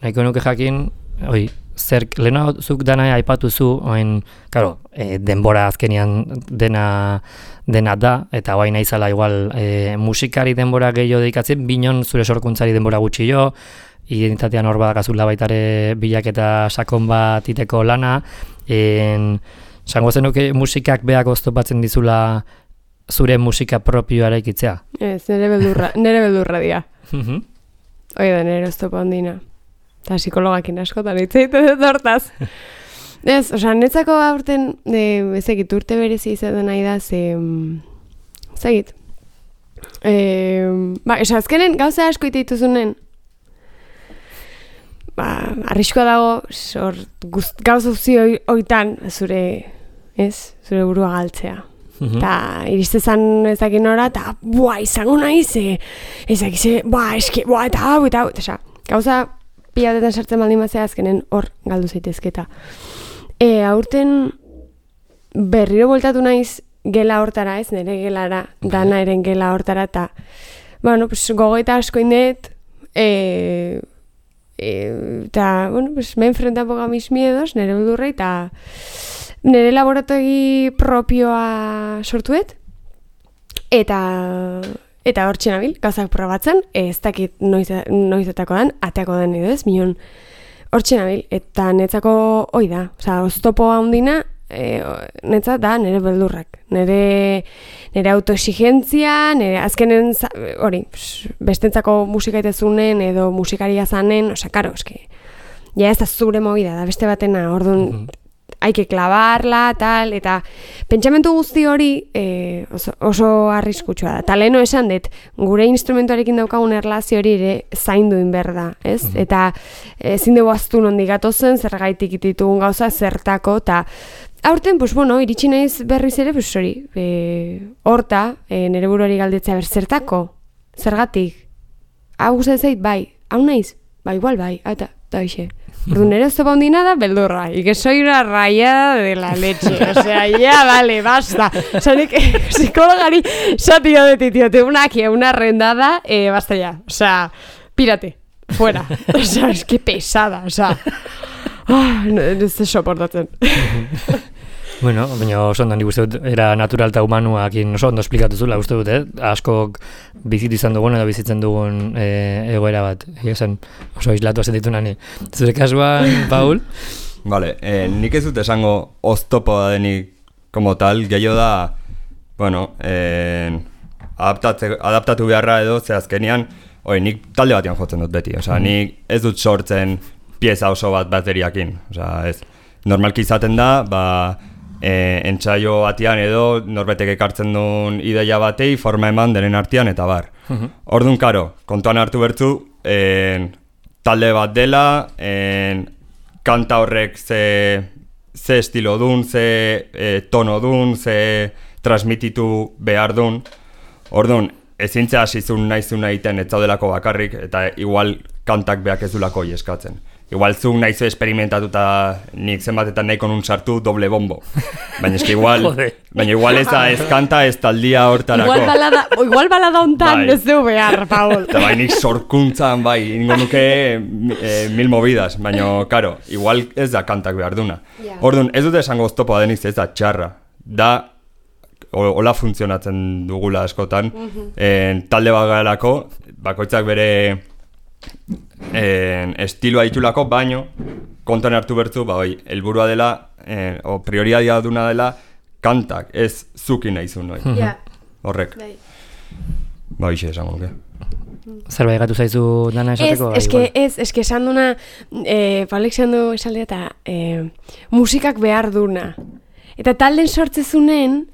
nahiko nuke jakin, zerk, lehena zuk dana aipatuzu, claro, denbora azkenian dena da, eta guai nahizala igual musikari denbora gehiago dedikatzen, binon zure sorkuntzari denbora gutxi jo, identitatean hor badakazula baitare bilaketa sakon bat iteko lana, zango zenuke musikak beak oztopatzen dizula zure musika propioa ikitzea? Ez, nere beldurra dira. Oida, nere oztopa ondina. Eta psikologakin askotan hitz egiten dut hortaz. Ez, netzako aurten, ezagit, urte berezi izaten nahi da, ezagit. Azkenen gauza asko ite dituzunen, arriskoa dago, gauza guzti oitan zure burua galtzea. Eta iristezan ezakin nora, eta izango nahi, eta hau, gauza pila batetan sartzen baldin bazea azkenen hor galdu zaitezketa. Aurten berriro voltatu naiz gela hortara, ez, nire gelara, dana eren gela hortara, eta bueno, pues, gogoeta asko indet, eta, bueno, pues, me enfrenta poco a mis miedos, nire beldurrei, eta nire laborategi propioa sortuet, eta hor txenabil, gauzak probatzen, ez dakit noizetako den, ateako den edo ez, minon hor txenabil, eta netzako hoi da, oza, oztopoa handina, netzat da nire beldurrak, nire autoexigentzia, nire azkenen, hori, bestentzako musika itezunen edo musikaria zanen, oza, karo, eske, ja ez da zure movida, da beste batena, orduan, haike klabarla, tal, eta pentsamentu guzti hori oso arriskutsua da. Eta leheno esan dut, gure instrumentuarekin daukagun erlazio hori ere zaindu inberda, ez? Eta ezin dugu aztu nondik gatozen, zergaitik ditugun gauza, zertako, eta aurten, pues, bueno, iritsi naiz berriz ere, pues, hori, horta, nire buruari galdetzea zertako, zergatik, hau gustatzen zait, bai, hau naiz, bai, igual, bai, eta hoxe. Orduan nere oztopa hundina da beldurra, y que soy una rayada de la leche, o sea, ya, vale, basta. O sea, nik psikologari satio de titio, te una rendada, basta ya, o sea, pírate, fuera, o sea, es que pesada, o sea, no ez soportatzen. Bueno, baina oso ondo nik uste dut, era natural eta humanuakin oso ondo esplikatu zula, uste dut, askok bizitu izan dugun edo bizitzen dugun egoera bat. Esan, oso aislatu sentitu nani. Zure kasuan, Paul? Vale, nik ez dut esango oztopoa denik como tal, gehiago da, bueno, adaptatu beharra edo, ze azkenean, nik talde batean jotzen dut beti, osea, nik ez dut sortzen pieza oso bat bateriakin, osea, ez. Normalki izaten da, entsaio batean edo norbetek ekartzen duen ideia batei forma eman denen artean eta bar. Orduan, karo, kontuan hartu bertzu, talde bat dela, kanta horrek ze estilo dun, ze tono dun, ze transmititu behar dun. Orduan, ezintzea hasizun naizun egiten ez zaudelako bakarrik eta igual kantak beak ez dulako eskatzen. Igual zuk nahizu esperimentatuta nik zenbatetan nahiko nun sartu doble bombo. Baina eski igual ez da ez kanta ez taldia hortarako. Igual balada hontan ez du behar, Paul. Eta bai nik sorkuntzan ingo nuke mil movidas, baina karo, igual ez da kantak behar duna. Orduan, ez dute esango oztopoa denik ez da txarra. Da, hola funtzionatzen dugula askotan, talde bat garelako, bakoitzak bere estiloa ditulako, baino kontuan hartu bertu, helburua dela o prioritatea duna dela kantak, ez zuki naizun noi. Horrek. Hoxe esango nuke. Zerbait gatu zaizu dana esateko? Eske esan duna, Paulek esan du esaldea eta musikak behar duna. Eta talden sortzezunen,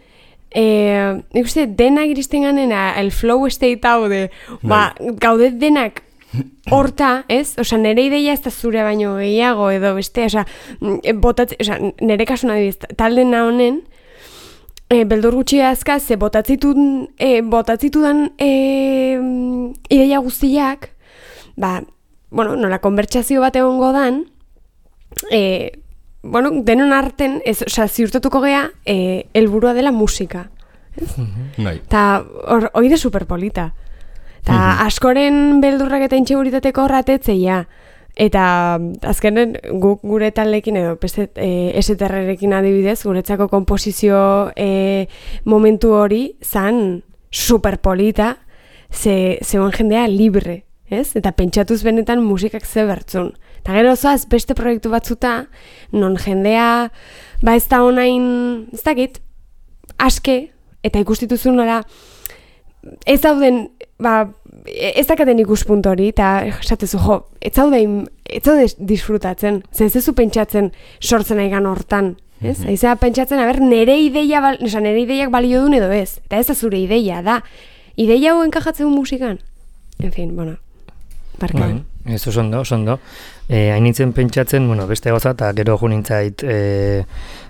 nik uste denak iristen ganena, el flow state hau de, gaudet denak horta, ez? Osa, nire ideia ez da zure baino gehiago edo beste, osa, nire kasuna dibiz, talden honen, beldur gutxi azka, ze botatzitudan ideia guztiak, bueno, nola konbertsazio bat egongo dan, bueno, denon arten, ziurtatuko gea, helburua dela musika. Eta hori da superpolita. Eta askoren beldurrak eta intxeguritateko horratetzeia. Eta azkenen guk gure taldekin edo eseterrerekin adibidez, guretzako komposizio momentu hori zan superpolita, zegoen jendea libre, ez? Eta pentsatuz benetan musikak ze bertzun. Eta gero zoaz beste proiektu batzuta, non jendea, ez da honain, ez dakit, aske, eta ikustituzun nola, ez dauden, ez dakaten ikuspuntu hori, eta esatezu, ez zaude disfrutatzen, ez zu pentsatzen sortzen aigan hortan, ez? Aizea pentsatzen, nire ideiak balio duen edo ez, eta ez da zure ideia, da, ideia hau enkajatzen musikan? En fin, bueno, barkan. Ez oso ondo. Hainitzen pentsatzen, beste goza, eta gero junintzait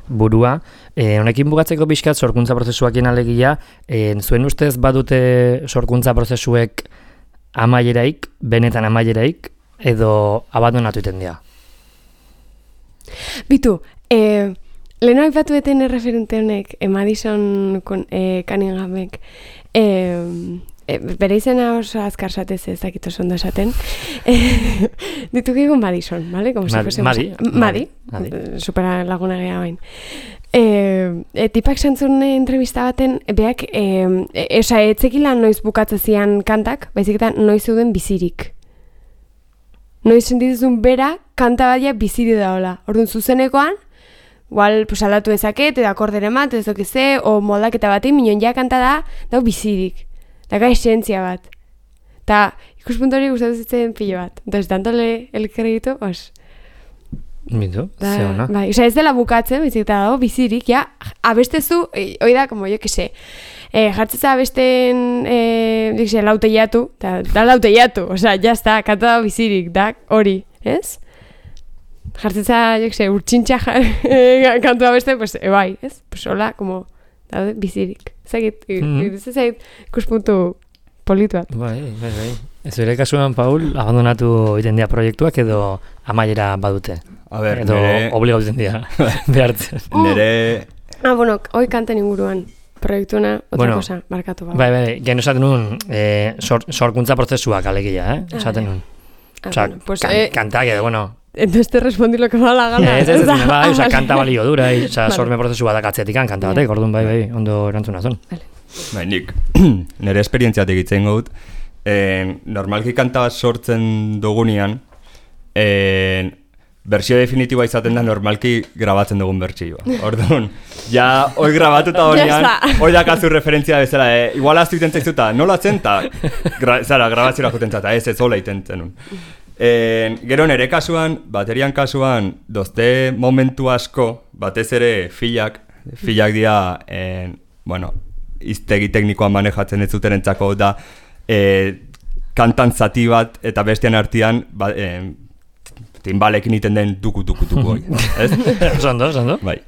burua. Honekin bugatzeko pixkat sorkuntza prozesuakien alegia, zuen ustez badute sorkuntza prozesuek amaieraik, benetan amaieraik, edo abandonatu iten dira? Bitu, leheno aipatu eten referente honek, Madison Cunninghamek, bere izena oso azkar satez ez dakit oso ondo esaten, ditu egun Madison, ¿vale? Como Madi, supera laguna geha bain. Tipak santzun entrevista baten, beak, etzekila noiz bukatzezian kantak, baizik eta noiz zeuden bizirik. Noiz sentituzun bera, kanta badia biziri daola. Orduan zuzenekoan, igual, pues, aldatu ezaket, edo akordere mat, ez dokize, o moldaketa batein, minon ja kanta da bizirik. Daka esentzia bat. Eta ikuspuntu hori gustatu zitzen pilo bat. Entonces, dantole el kredito, os... Bintu, ze hona. Bai, ez dela bukatzen, bizik eta dago bizirik, ja, abestezu, hoi da, como jo que se, jartzetza abesten, lauteiatu, da lauteiatu, osea, jazta, kanta dago bizirik, da hori, ez? Jartzetza, jo que se, urtsintxa kantu abeste, pues, bai, ez? Pues, hola, como, daude bizirik. Zagit, zait, ikuspuntu politu bat. Bai. Ez bere kasuan, Paul, abandonatu iten dira proiektuak edo amaiera badute? A ber, edo obligatu iten dira behartzen. Nere... Bueno, hoi kanten inguruan proiektuna, otra cosa, markatu ba. Bai, gen esaten nun, sorkuntza prozesuak alegia, esaten nun. Osa, kantak edo, bueno... Entonces te respondí lo que me da la gana. Bai, osa, kanta balio dura, osa, sorme prozesua da katzetikan, kanta batek, orduan, bai, ondo erantzuna zon. Bai, nik, nire esperientziatik itzen gaut, normalki kanta bat sortzen dugunean, bersio definitiboa izaten da normalki grabatzen dugun bertsioa. Orduan, ja, hoi grabatuta honean, hoi dakazu referentzia bezala, igual aztu iten zaizuta, nola zen, grabaziora juten zata, ez hola iten zenun. Gero nere kasuan, baterian kasuan, dozte momentu asko, batez ere filak dira, iztegi teknikoan manejatzen ez zuten entzako da, kantan zati bat eta bestean artean, timbalekin iten den duku hori, ez? Zondo. Bai,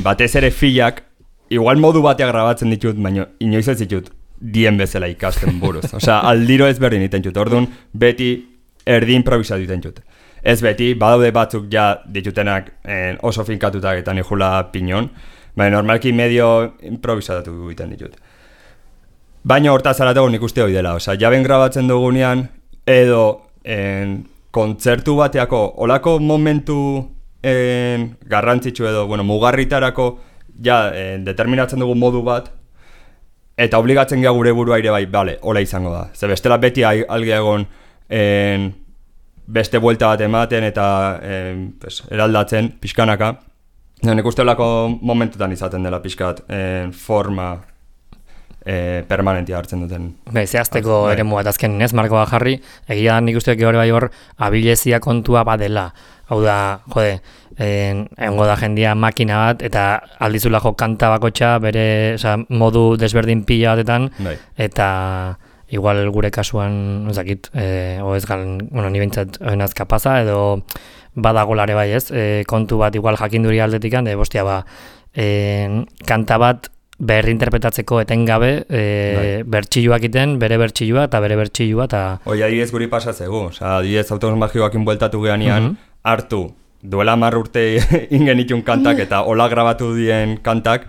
batez ere filak, igual modu batea grabatzen ditut, baina inoiz ez ditut, dien bezala ikasten buruz. Osea, aldiro ez berdin iten jut. Orduan, beti erdi improvisatu iten jut. Ez beti, badaude batzuk ja ditutenak oso finkatutak eta nijula pinon, baina normalki medio improvisatu iten ditut. Baina hortaz aratago nik uste hori dela. Osea, jaben grabatzen dugunean, edo kontzertu bateako, olako momentu garrantzitsu edo, mugarritarako ja determinatzen dugu modu bat, eta obligatzen gea gure burua ire bai, bale, hola izango da. Ze bestela beti alge egon beste buelta bat ematen eta eraldatzen pixkanaka. Nik uste olako momentutan izaten dela pixkat forma permanentia hartzen duten. Zehazteko ere muat azken ez, markoa jarri, egia da nik usteak hori bai hor abilezia kontua badela. Hau da, egongo da jendia makina bat, eta aldizula jo kanta bakotxa bere modu desberdin pila batetan, eta igual gure kasuan, ez dakit, ez galen, ni behintzat nazka pasa, edo badagolare bai ez, kontu bat igual jakinduri aldetikan, bostia kanta bat berrinterpretatzeko etengabe, bertxilluak iten, bere bertxillua eta bere bertxillua, eta... Hoi, adibidez guri pasatzegu, adibidez autobus magikoakin bueltatu gehanean, hartu, duela 10 urte ingen itun kantak eta hola grabatu dien kantak,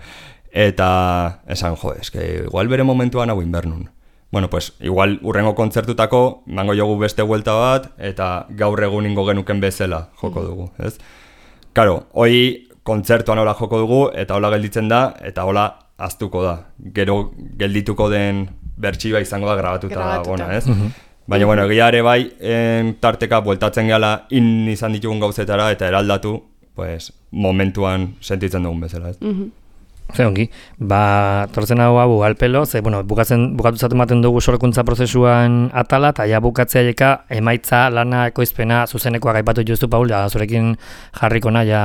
eta esan, eske, igual bere momentuan hau inbernun. Bueno, pues, igual urrengo kontzertutako, mango jogu beste vuelta bat, eta gaur egun ingo genuken bezala joko dugu, ez? Karo, hoi kontzertuan hola joko dugu, eta hola gelditzen da, eta hola aztuko da. Gero geldituko den bertsioa izango da grabatuta da gona, ez? Baina, egia ere bai, tarteka bueltatzen gehala izan ditugun gauzetara eta eraldatu, pues, momentuan sentitzen dugun bezala, ez? Ze ongi, tortzen hau alpelo, ze, bukatu zaten maten dugu sorkuntza prozesuan atala, eta ja bukatzea jeka emaitza, lana, ekoizpena, zuzenekoak aipatu justu, Paul, ja, zurekin jarrikona, ja,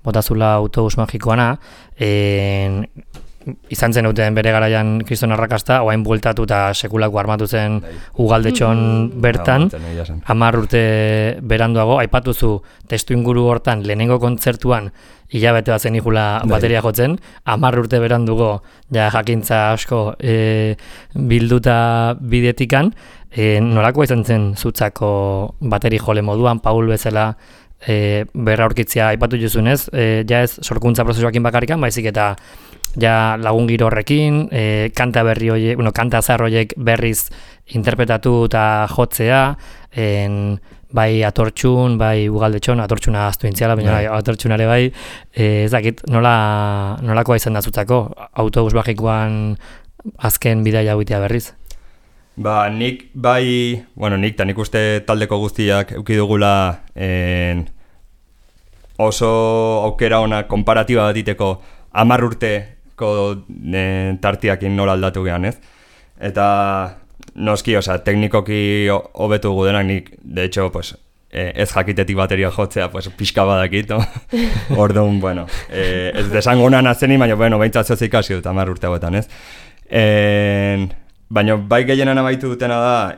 botazula autobus magikoana, izan zen duten bere garaian kriston arrakasta, oain bueltatu eta sekulako armatu zen ugaldetxon bertan, 10 urte beranduago, aipatuzu testu inguru hortan lehenengo kontzertuan hilabete bat zen ikula bateria jotzen, 10 urte berandugo ja jakintza asko bilduta bidetikan, nolako izan zen zutzako bateri jole moduan, Paul bezala berra aurkitzea aipatu juzunez, ja ez sorkuntza prozesuakin bakarrikan, baizik eta ja lagun giro horrekin, kanta berri horiek, kanta zahar horiek berriz interpretatu eta jotzea, bai atortxun, bai ugaldetxon, atortxuna aztu intziala, baina atortxunare bai, ez dakit, nolakoa izan da zutzako, autobus bajikoan azken bidaia hauitea berriz? Nik nik uste taldeko guztiak euki dugula oso aukera ona konparatiba bat diteko 10 urteko tartiakin nola aldatu gehan, ez? Eta noski, teknikoki hobetu gudenak nik, de hecho, ez jakitetik bateria jotzea, pixka badakit, no? Orduan, ez desango honan azeni, baina, behintzat zoz ikasi dut 10 urte hauetan, ez? Baina bai gehienan abaitu dutena da,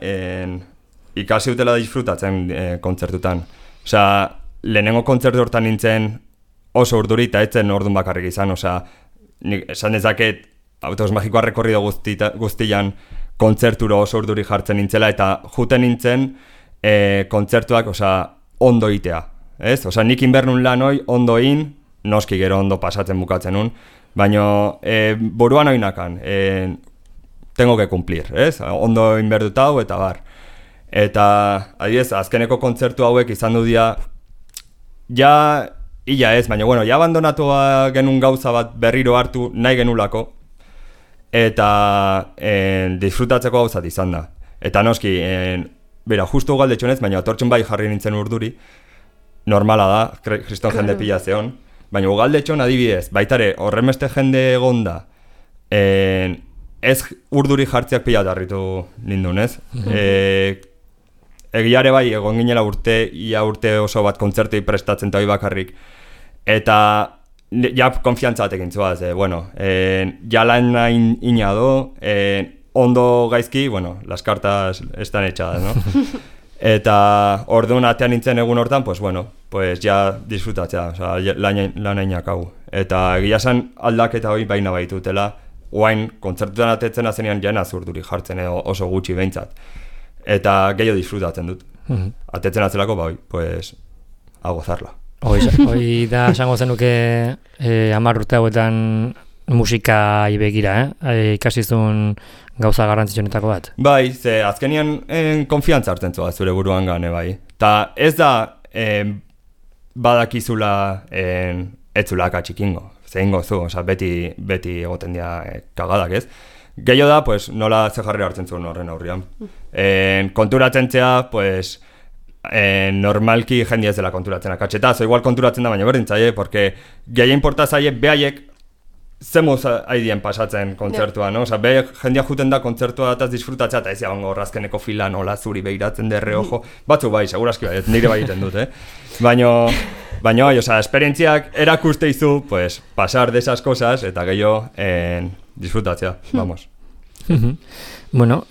ikasi dutela disfrutatzen kontzertutan. Lehenengo kontzertu hortan nintzen oso urduri eta etzen orduan bakarrik izan, nik esan dezaket Autobus Magikoa rekorrido guztian kontzerturo oso urduri jartzen nintzela eta juten nintzen kontzertuak ondo itea, ez? Nik inbernun lan hoi ondo in, noski gero ondo pasatzen bukatzen nun, baina buruan oinakan, tengo que cumplir, ez? Ondo inberduta hau eta bar. Eta, adibidez, azkeneko kontzertu hauek izan du dia, ia ez, baina, ja abandonatu genuen gauza bat berriro hartu nahi genulako, eta disfrutatzeko gauzat izan da. Eta noski, justu ugaldetxonez, baina atortxun bai jarri nintzen urduri, normala da, kriston jende pila zeon, baina ugaldetxon adibidez, baitare horremeste jende egonda, ez urduri jartziak pila darritu nindun, ez? Egiare bai, egon ginela urte oso bat kontzertui prestatzen eta bakarrik. Eta ja konfiantza batekin zuaz, ja lan ina do, ondo gaizki, las cartas están echadas, no? Eta orduan atean nintzen egun hortan, ja disfrutatzea, lan ainak hau. Eta egia zen aldaketa hori baina baitutela, oain kontzertutan atetzen azenean jena zurduri jartzen edo oso gutxi behintzat. Eta gehiago disfrutatzen dut. Atetzen atzelako, a gozarla. Hoi da, esango zenuke 10 urte hauetan musika ibegira, ikasizun gauza garrantzitsuenetako bat? Bai, ze azkenian konfiantza hartzen zua zure buruan gane, bai. Ta ez da badakizula etzula akatxikingo. Zehingo zu, beti egoten dira kagadak, ez? Gehiago da, nola ze jarri hartzen zuen horren aurrian. Konturatzen zea, normalki jendia ez dela konturatzen akatxeta, igual konturatzen da, baina berdintzaie, porque gehien porta zaie behaiek zemuz haidien pasatzen kontzertua, no? Behaiek jendia juten da kontzertua dataz disfrutatzea, eta ez jabango razkeneko filan, hola zuri behiratzen derre ojo, batzu bai, segurazki bai, nire bai egiten dut, Baina, esperientziak erakuste izu, pasar de esas cosas, eta gehiago disfrutatzea, vamos. Bueno,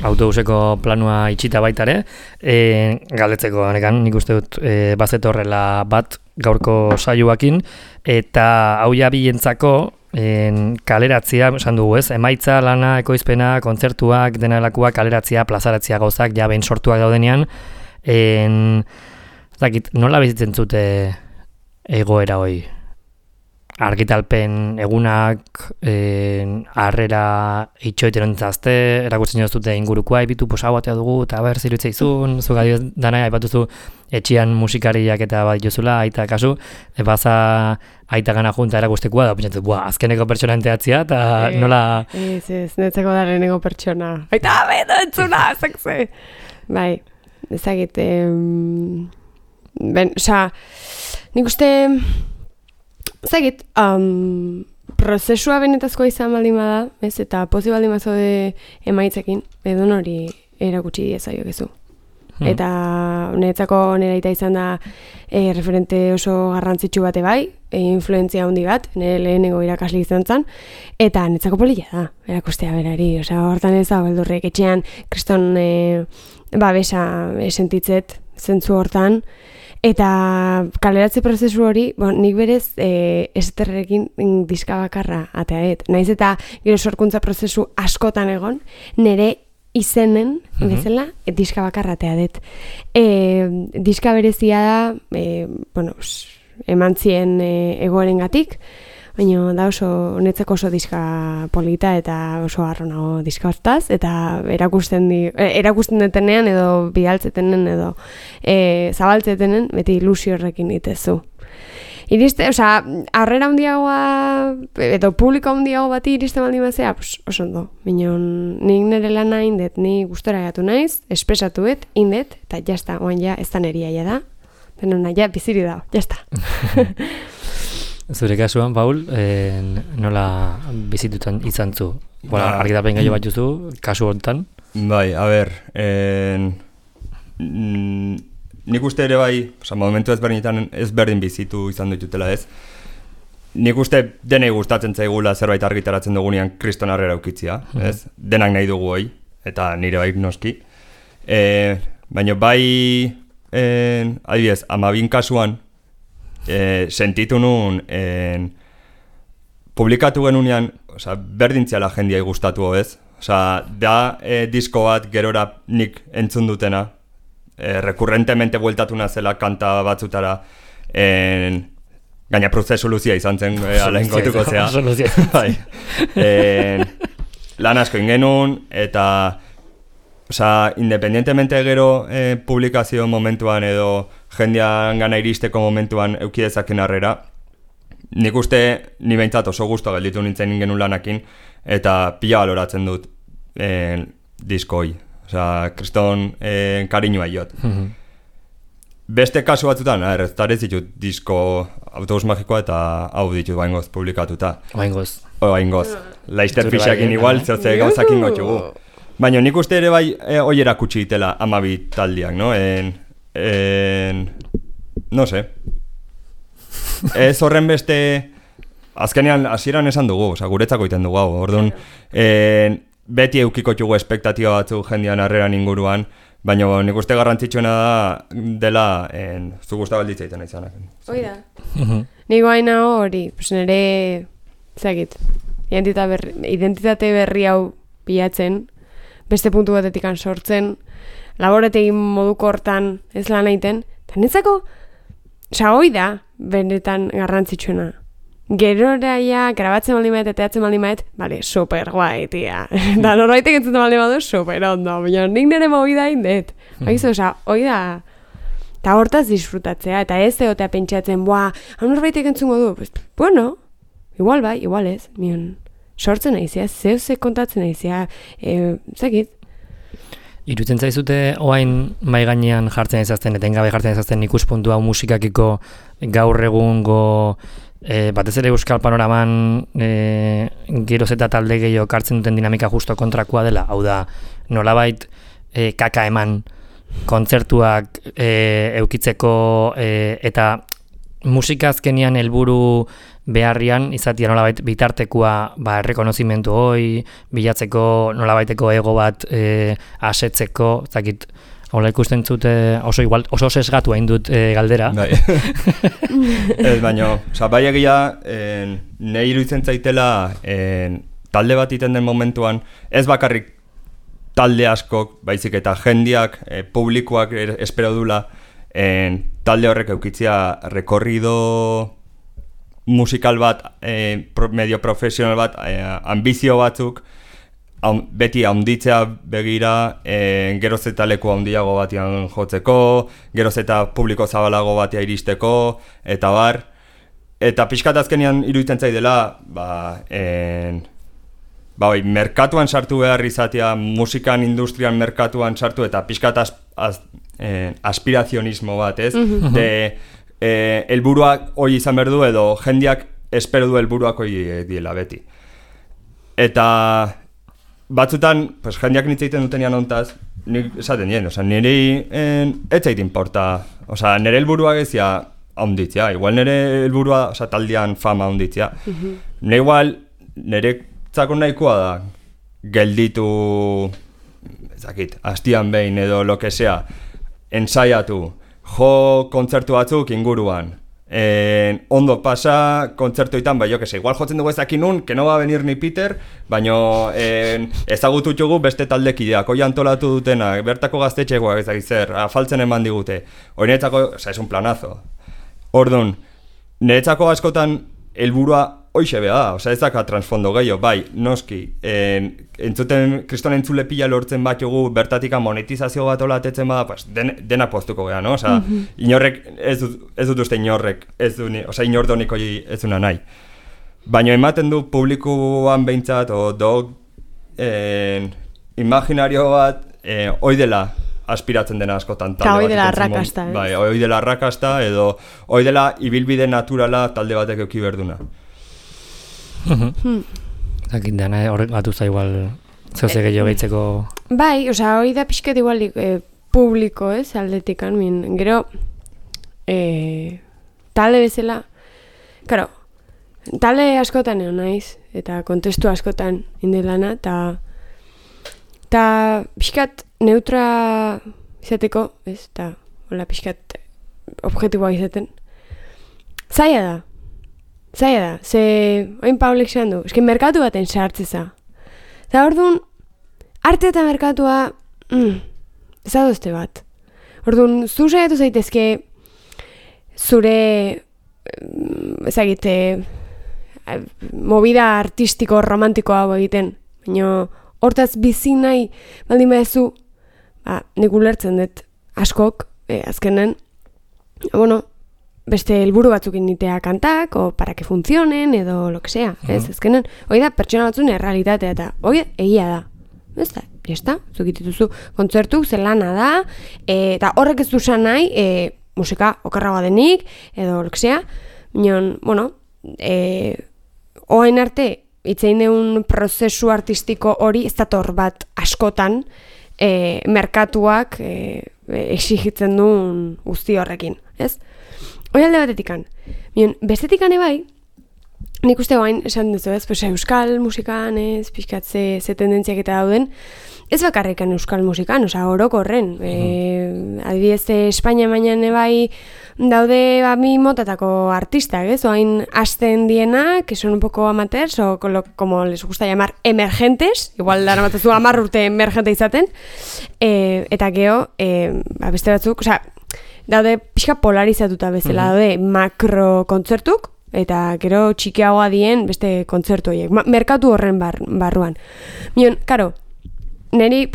autobuseko planua itxita baitare, galdetzeko honekan, nik uste dut bazetorrela bat gaurko saioakin, eta hau ja bilentzako kaleratzia, esan dugu ez, emaitza, lana, ekoizpena, kontzertuak, denalakoak, kaleratzia, plazaratzia gauzak, ja behin sortuak daudenean, nola bizitzen zute egoera hoi? Argitalpen egunak, harrera itxoiten ontzazte, erakutzen joztute ingurukoa, ebitu hau batea dugu, eta ber, zirutzeizun, zuga dioz dana, aipatuzu etxian musikariak eta bat jozula, aita kasu, baza aita gana junta erakustekoa, da pentsatzen, azkeneko pertsona enteatzia, eta nola... Ez, netzeko da lehenengo pertsona. Aita, beto entzuna, zekze! Bai, ezagit, nik uste... Zagit, prozesua benetazkoa izan baldin bada, ez, eta pozi baldin bazaude emaitzekin, edo hori erakutsi diezaiokezu. Eta niretzako nire aita izan da referente oso garrantzitsu bate bai, influentzia handi bat, nire lehenengo irakasle izan zen, eta niretzako polilla da, erakustea berari. Hortan ez da, beldurrek etxean, kriston babesa sentitzet zentzu hortan, eta kaleratze prozesu hori, nik berez esterrekin diska bakarra ateaet. Naiz eta gero sorkuntza prozesu askotan egon, nire izenen, bezala, diska bakarratea dut. Diska berezia da, bueno, eman zien egoerengatik, baina da oso honetzeko oso diska polita eta oso harro nago diska hortaz, eta erakusten detenean edo bidaltzetenen edo zabaltzetenen beti ilusio horrekin itezu. Iriste, harrera handiagoa edo publiko handiago bati iriste baldin bazea, oso ondo. Minon, nik nire lana indet, ni gustora gatu naiz, espresatuet, indet, eta jazta, oan ja, ez da neria ja da. Denona, ja, biziri da, jazta. Zure kasuan, Paul, nola bizitutan izan zu? Bona, argitapen gaio bat juzu, kasu honetan? Bai, a ber, nik uste ere bai, momentu ezberdin bizitu izan ditutela ez. Nik uste denei gustatzen zaigula zerbait argitaratzen dugunean kriston harrera ukitzia, ez? Denak nahi dugu hoi, eta nire bai noski. Baina bai, adibidez, 12 kasuan, sentitu nun publikatu genunean, berdintziala jendiai gustatu ez. Da disko bat gerora nik entzun dutena, rekurrentemente bueltatu nazela kanta batzutara, gaina prozesu luzia izan zen, alain gotuko zea. Lan asko ingenun, eta independientemente gero publikazio momentuan edo jendean gana iristeko momentuan eukidezaken harrera, nik uste ni behintzat oso gusto gelditu nintzen genuen lanakin, eta pila baloratzen dut diskoi. Kriston kariñoa jot. Beste kasu batzutan, ez ditut disko Autobus Magikoa eta hau ditut baingoz publikatuta. Baingoz. Laizter Fixakin igual, zehotze gauzakin gotxugu. Baina nik uste ere bai hoi erakutsi ditela 12 taldiak, no? No sé. Ez horren beste, azkenean hasieran esan dugu, guretzako iten dugu hau, orduan, beti eukiko txugu espektatiba batzu jendean harreran inguruan, baina nik uste garrantzitsuena dela zu guztabalditza iten izanak. Hoi da. Nik baina hori, nire, zagit, identitate berri hau pilatzen, beste puntu batetikan sortzen, laborategin moduko hortan ez lan egiten, eta netzako, hoi da, benetan garrantzitsuena. Gerora ja, grabatzen baldin maet, teatzen baldin maet, bale, super guai, tia. Da, norbaitek entzuten baldin badu, super ondo, baina nik nire movida indet. Baizu, hoi da, eta hortaz disfrutatzea, eta ez egotea pentsatzen, hau norbaitek entzungo du, bueno, igual bai, igual ez, mion, sortzen naizia, zehuzek kontatzen naizia, zekit. Irutzen zaizute oain mai gainean jartzen ezazten, etengabe jartzen ezazten ikuspuntu hau musikakiko gaur egungo batez ere euskal panoraman geroz eta talde gehiago kartzen duten dinamika justo kontrakoa dela, hau da nolabait kaka eman kontzertuak eukitzeko eta musika azkenian helburu beharrian izatea nolabait bitartekoa errekonozimentu hoi, bilatzeko nolabaiteko ego bat asetzeko, zakit, hola ikusten zute oso sesgatu hain dut galdera. Ez baino, bai egia nahi iruditzen zaitela talde bat iten den momentuan, ez bakarrik talde askok, baizik eta jendiak, publikoak espero dula, talde horrek eukitzia rekorrido musikal bat, medio profesional bat, ambizio batzuk, beti handitzea begira, geroz eta leku handiago batian jotzeko, geroz eta publiko zabalago batia iristeko, eta bar. Eta pixkat azkenean iruditzen zaidela, merkatuan sartu behar izatea, musikan industrian merkatuan sartu, eta pixkat aspirazionismo bat, ez? Helburuak hoi izan behar du, edo jendiak espero du helburuak hoi diela beti. Eta batzutan, jendiak nitzeiten dutenean ontaz, nik esaten dien, nire etzait importa, nire helburua gezia haunditzea, igual nire helburua taldean fama haunditzea. Nire zako nahikoa da gelditu, hastian behin edo lo que sea, ensaiatu, jo kontzertu batzuk inguruan, ondo pasa kontzertoetan, jo que se, igual jotzen dugu ezakin nun, que no va a venir ni Peter, baino ezagutu txugu beste taldekideak, hoi antolatu dutenak, bertako gaztetxegoak ezagik zer, afaltzen eman digute. Hori niretzako, es un planazo. Orduan, niretzako askotan helburua hoxe beha da, ez daka transfondo gehiago, bai, noski, entzuten, kriston entzule pila lortzen bat jogu, bertatika monetizazio bat olatetzen bada, pues, denak poztuko geha, no? Osa, inorrek, ez dut uste inorrek, inordonik hori ez duna nahi. Baina ematen du publikoan behintzat, imaginario bat, hoi dela aspiratzen dena askotan talde batek. Hoi dela arrakasta, Bai, hoi dela arrakasta, edo hoi dela ibilbide naturala talde batek euki berduna. Zakin dena horrek gatuza igual zeuze gehiago gehitzeko... Bai, hori da pixkat igual publiko, aldetikan, gero talde bezala, karo, talde askotan egon naiz, eta kontestu askotan indelana, eta pixkat neutra izateko, eta hola pixkat objektiboa izaten, zaila da, ze oin Paulek zean du, eski merkatu baten sartzeza. Eta orduan, arte eta merkatua, ez adozte bat. Orduan, zu saiatu zaitezke zure, ezagite, movida artistiko, romantikoa hau egiten, baina hortaz bizi nahi baldin badezu, nik ulertzen dut askok, azkenen, beste helburu batzuk inditea kantak, o para que funcionen, edo lo que sea, ez, ezkenen, hoi da, pertsona batzun errealitatea, eta hoi egia da, ez da, jesta, zukitituzu kontzertuk, zelana da, eta horrek ez duzan nahi, musika okerragoa denik, edo lo que sea, minon, oain arte, itzein deun prozesu artistiko hori, ez dator bat askotan, merkatuak exigitzen duen guzti horrekin, ez? Hoi alde batetikan. Bestetikane bai, nik uste guain esan duzu ez, euskal musikan ez, pixkat ze tendentziak eta dauden, ez bakarrikan euskal musikan, orokorren. Adibidez, Espainia mainan bai daude mi motatako artistak, ez? Oain hasten dienak, que son un poco amateurs, o como les gusta llamar emergentes, igual dara matazu 10 urte emergente izaten, eta geho, beste batzuk, daude pixka polarizatuta bezala, daude makro kontzertuk, eta gero txikiagoa dien beste kontzertu horiek, merkatu horren barruan. Karo, neri,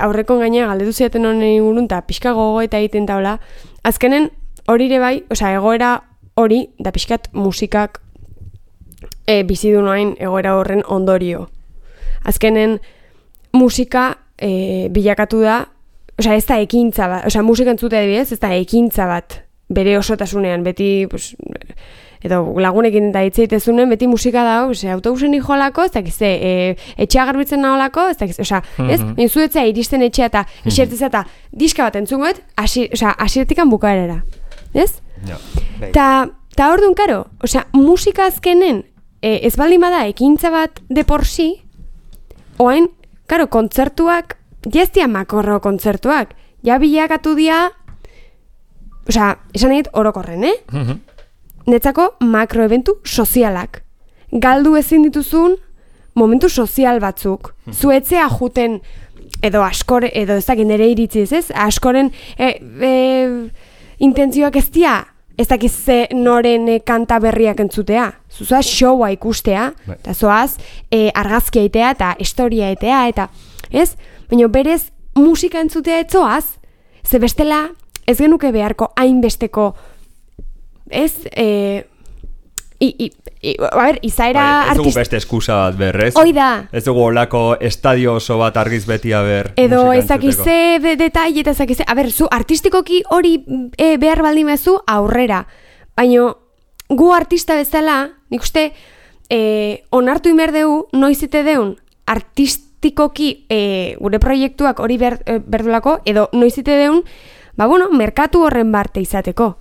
aurreko gaina galdetu ziaten honen ingurun, eta pixka gogo eta egiten taula, azkenen hori ere bai, egoera hori, da pixkat musikak bizidu noain egoera horren ondorio. Azkenen musika bilakatu da, ez da ekintza bat, musika entzutea adibidez, ez da ekintza bat bere osotasunean, beti, edo lagunekin eta hitzeitezunen, beti musika dago, autobusen jolako, ez dakize, etxea garbitzen naholako, ez dakize, ez? Zuetzea iristen etxea eta iserteza eta diska bat entzungoet, asiretikan bukaerara, ez? Ta orduan, karo, musika azkenen, ez baldin bada ekintza bat de por si, oain, karo, kontzertuak, jaztia makorro kontzertuak, ja bilakatu dia, esan egit orokorren, netzako makroeventu sozialak. Galdu ezin dituzun momentu sozial batzuk. Zuetzea juten, edo askore, edo ez dakit nire iritziz, ez? Askoren intentzioak ez dia, ez dakiz noren kanta berriak entzutea. Zuzoaz showa ikustea, eta zoaz argazkia etea eta historia etea, eta ez? Baina berez musika entzutea etzoaz, ze bestela ez genuke beharko hainbesteko, ez, izaera ez dugu beste eskusa bat berrez. Hoi da. Ez dugu olako estadio oso bat argiz beti ber edo ezakize detaile eta ezakize, zu artistikoki hori behar baldin bezu aurrera. Baina gu artista bezala, nik uste, onartu imerdeu, noizite deun, artistikoki gure proiektuak hori berdulako, edo noizite deun, merkatu horren barte izateko,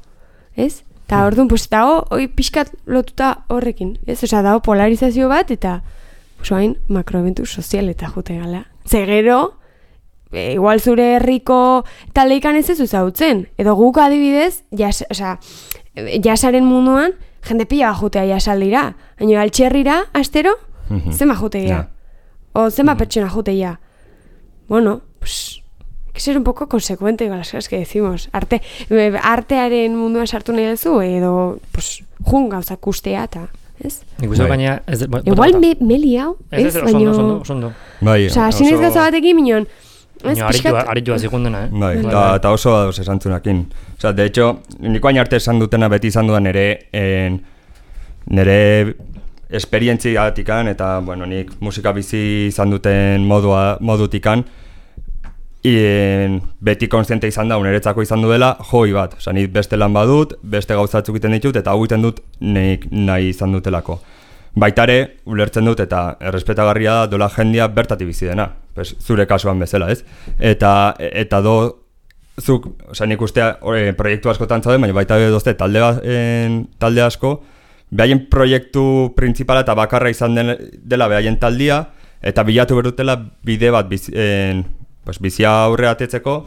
ez? Eta orduan, dago, pixkat lotuta horrekin, ez? Dago polarizazio bat, eta hain makroeventu sozial eta jute gala. Zegero, igual zure herriko taldeikan ez zautzen. Edo guk adibidez, jasaren munduan, jende pila bajutea jasaldira. Baina altxerrira, astero, zenba jutegia. O zenba pertsona jutegia. Bueno, pues, hay que ser un poco consecuente con las cosas que decimos. Artearen munduan sartu nahi duzu, edo, pues, jun gauzak ustea eta, ez? Ikusten gaina... Igual meli hau, ez? Oso. Osa, sinez gauza batekin minon, Aritua zikundena, eta oso dauz esantzunakin. Osa, de hecho, niko hain arte esan dutena beti izan dudan nire esperientziatikan, eta, bueno, nik musika bizi izan duten modutikan, beti konstiente izan da, uneretzako izan duela, joi bat. Osa, nik beste lan badut, beste gauzatzuk iten ditut, eta hau iten dut nahi izan dutelako. Baitare, ulertzen dut, eta errespetagarria da dola jendia bertatik bizi dena. Zure kasuan bezala, ez? Eta zuk, nik ustea proiektu askotan zauden, baina baita dozte talde asko, behaien proiektu printzipala eta bakarra izan dela behaien taldia, eta bilatu berdutela bide bat bizia aurre atetzeko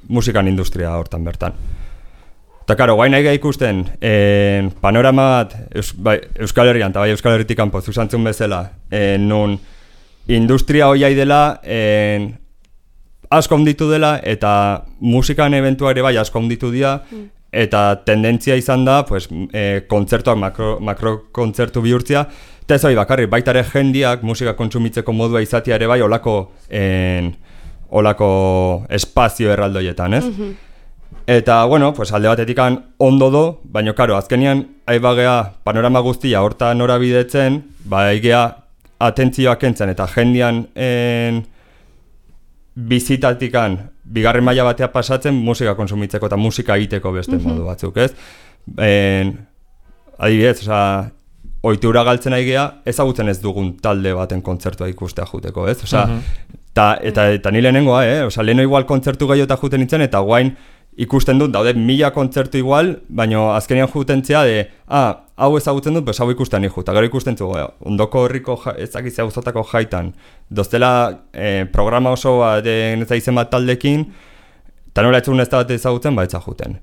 musikan industria hortan bertan. Eta karo, guain nahi ikusten, panorama bat Euskal Herrian, eta bai Euskal Herritik kanpo zuzantzun bezala, nun industria hoiai dela, asko onditu dela, eta musikan eventua ere bai asko onditu dira, eta tendentzia izan da, kontzertuak makrokontzertu bihurtzia, eta ez hori bakarri, baita ere jendiak musika kontsumitzeko modua izatea ere bai olako espazio erraldoietan, ez? Eta, bueno, alde batetik ondo do, baina, karo, azkenian aibagea panorama guztia horta norabidetzen, aigea atentzioak entzen eta jendian bizitatikan bigarren maila batea pasatzen musika konsumitzeko eta musika egiteko beste modu batzuk, ez? Adibidez, ohitura galtzen aigea, ezagutzen ez dugun talde baten kontzertua ikustea juteko, ez? Eta ni lehenengoa, leheno igual kontzertu gehiota juten nintzen, eta guain ikusten dut, daude 1000 kontzertu igual, baina azkenean jutentzea hau ezagutzen dut, hau ikusten niku, eta gero ikusten zu, ondoko herriko ezakizia uzotako jaitan, doztela programa oso bat izen bat taldekin, eta nola etxun ez da bat ezagutzen, etza juten.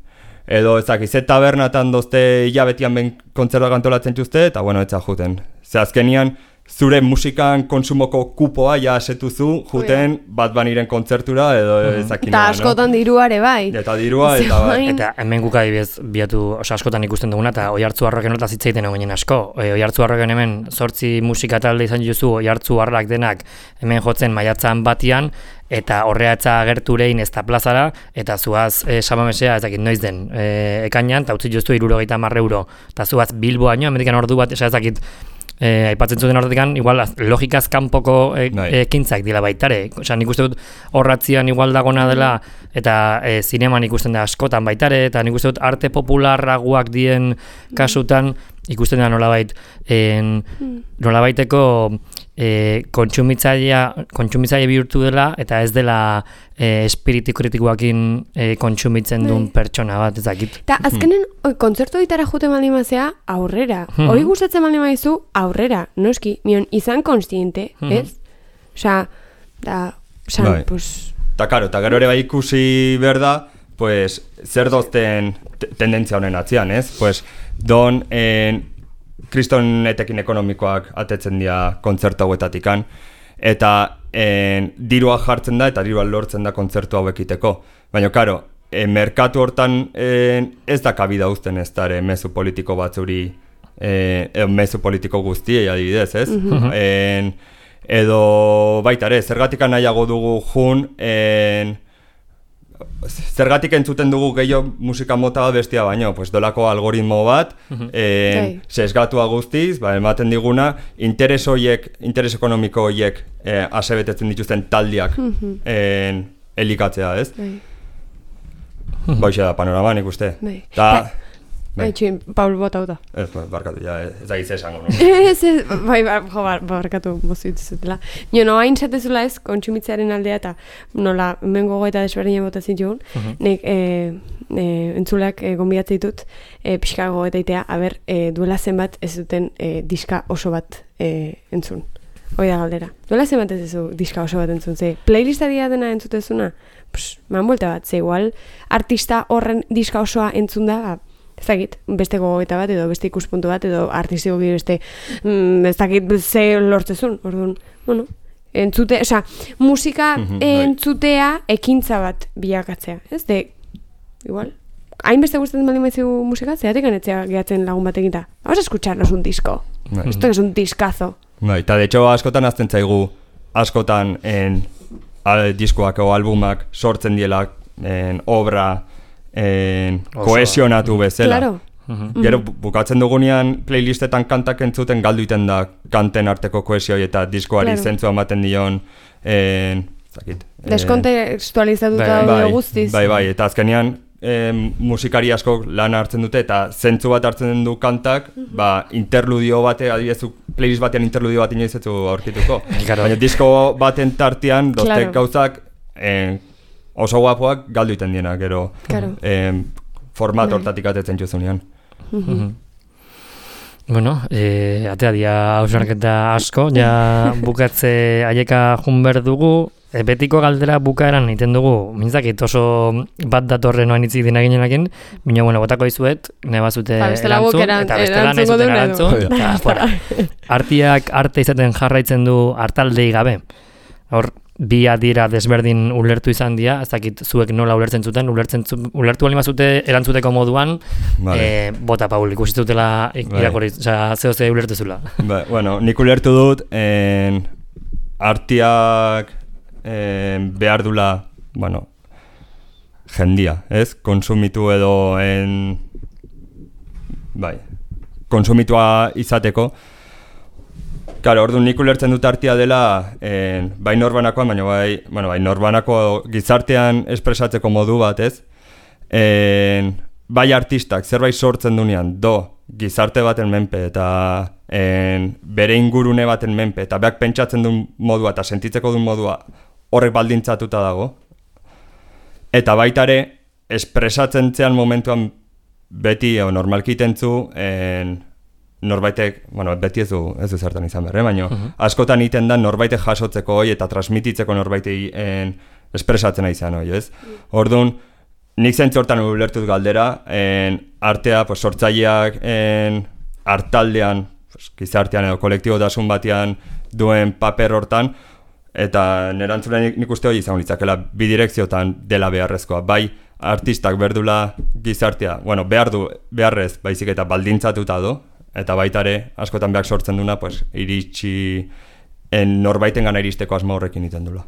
Edo ezakiz, tabernatan dozte hilabetian ben kontzertuak antolatzen txuzte, eta bueno, etza juten. Ze azkenean, zure musikan konsumoko kupoa ja asetuzu juten bat baniren kontzertura edo ezakin. Eta askotan diruare bai. Eta dirua eta bai. Eta hemen guk adibidez biatu, askotan ikusten duguna, eta Oiartzuarroken hortaz hitz egiten egoinen asko. Oiartzuarroken hemen 8 musika talde izan dituzu, Oiartzuarrak denak hemen jotzen maiatzan batian, eta horreatza agerturein ez da plazara, eta zuaz samamesea ezakit noiz den ekainan, eta utzi joztu 70 euro, eta zuaz Bilboaino, Amerikan ordu bat, ezakit aipatzen zuten horretik, igual logikaz kanpoko ekintzak dira baitare. Nik uste dut horratzian igual dagona dela, eta zineman ikusten da askotan baitare, eta nik uste dut arte popularraguak dien kasutan ikusten da nolabaiteko kontsumitzaile bihurtu dela, eta ez dela espiritu kritikoakin kontsumitzen duen pertsona bat, ezakit. Eta azkenen, kontzertu ditara jute maldimazea aurrera. Hori gustatzen maldimaizu aurrera, noski, mion izan konstiente, ez? Osa, pues... Eta karo, eta gero ere bai ikusi berda, pues, zer dozten tendentzia honen atzian, ez? Pues, don kriston etekin ekonomikoak atetzen dira kontzertu hauetatikan, eta dirua jartzen da eta dirua lortzen da kontzertu hauekiteko. Baina, karo, merkatu hortan ez da kabida uzten ez da mezu politiko batzuri, mezu politiko guztiei adibidez, ez? Edo baita ere, zergatik nahiago dugu jun, zergatik entzuten dugu gehiago musika mota bat bestia baino, pues dolako algoritmo bat, sesgatua guztiz, ematen diguna, interes ekonomiko horiek asebetetzen dituzten taldiak elikatzea, ez? Boixe da panorama, nik uste. Txin, Paul bota uta. Ez, barkatu, ez da gitze esango. Barkatu bozu dituzutela. Nio, hain zatezula ez, kontsumitzearen aldea eta nola, hemen gogoeta desberdina bota zituen, nik entzuleak gonbidatzen ditut, pixka gogoeta itea, duela zenbat ez duten diska oso bat entzun. Hoi da galdera. Nola zenbat ez zu diska oso bat entzun, ze playlista dia dena entzutezuna? Man buelta bat, ze igual artista horren diska osoa entzun da, ez dakit, beste gogoeta bat, edo beste ikuspuntu bat, edo artistiko beste, ez dakit, ze lortzezun, orduan, bueno, entzute, oza, musika entzutea ekintza bat bilakatzea, ez? Igual, hainbeste gustatzen baldin maizu musika, zeatik anetzea gehatzen lagun bat eginta. Vamos a escucharnos un disco. Esto es un discazo. Eta de hecho askotan azten zaigu, askotan diskoak o albumak sortzen diela obra kohesionatu bezala. Claro. Gero bukatzen dugunean playlistetan kantak entzuten galdu iten da kanten arteko kohesioi eta diskoari zentzua ematen dion deskontekstualizatuta daude guztiz. Bai, eta azkenean musikari asko lan hartzen dute eta zentzu bat hartzen du kantak, interludio bate, adibidez playlist batean interludio bat inoiz ez du aurkituko. Baina disko baten tartean doztek gauzak oso guapoak galdu iten diena, gero format hortatik atetzen juzunean. Bueno, atea dia hausnarketa asko, ja bukatze aieka junber dugu, betiko galdera bukaeran egiten dugu, mintzakit oso bat datorren oan itzik dina ginenakin, baina bueno, botako izuet, nebazute erantzun, eta bestelan ez zuten erantzun. Artiak arte izaten jarraitzen du hartaldei gabe. Hor, bi adira desberdin ulertu izan dira, ez dakit zuek nola ulertzen zuten, ulertu bali mazute erantzuteko moduan, bota Paul, ikusitutela irakorri, zehose ulertu zula. Bueno, nik ulertu dut, artiak behar dula, bueno, jendia, ez? Konsumitu edo konsumitua izateko. Claro, orduan nik ulertzen dut artia dela bai norbanakoan, baina bai norbanako gizartean espresatzeko modu bat, ez? Bai artistak zerbait sortzen dunean gizarte baten menpe eta bere ingurune baten menpe eta beak pentsatzen duen modua eta sentitzeko duen modua horrek baldintzatuta dago. Eta baita ere, espresatzen zean momentuan beti normalki itentzu norbaitek, beti ez du zertan izan berre, baina askotan iten da norbaitek jasotzeko hoi eta transmititzeko norbaitei espresatzen izan hoi, ez? Orduan, nik zentzu hortan ulertuz galdera, artea, sortzaileak hartaldean, gizartean edo kolektibotasun batean duen paper hortan, eta nerantzulen nik uste hori izan litzakela bidirekziotan dela beharrezkoa. Bai, artistak berdula gizartea, beharrez, baizik eta baldintzatuta do, eta baita ere, askotan behar sortzen duna, iritsi norbaiten gana iristeko asma horrekin iten dula.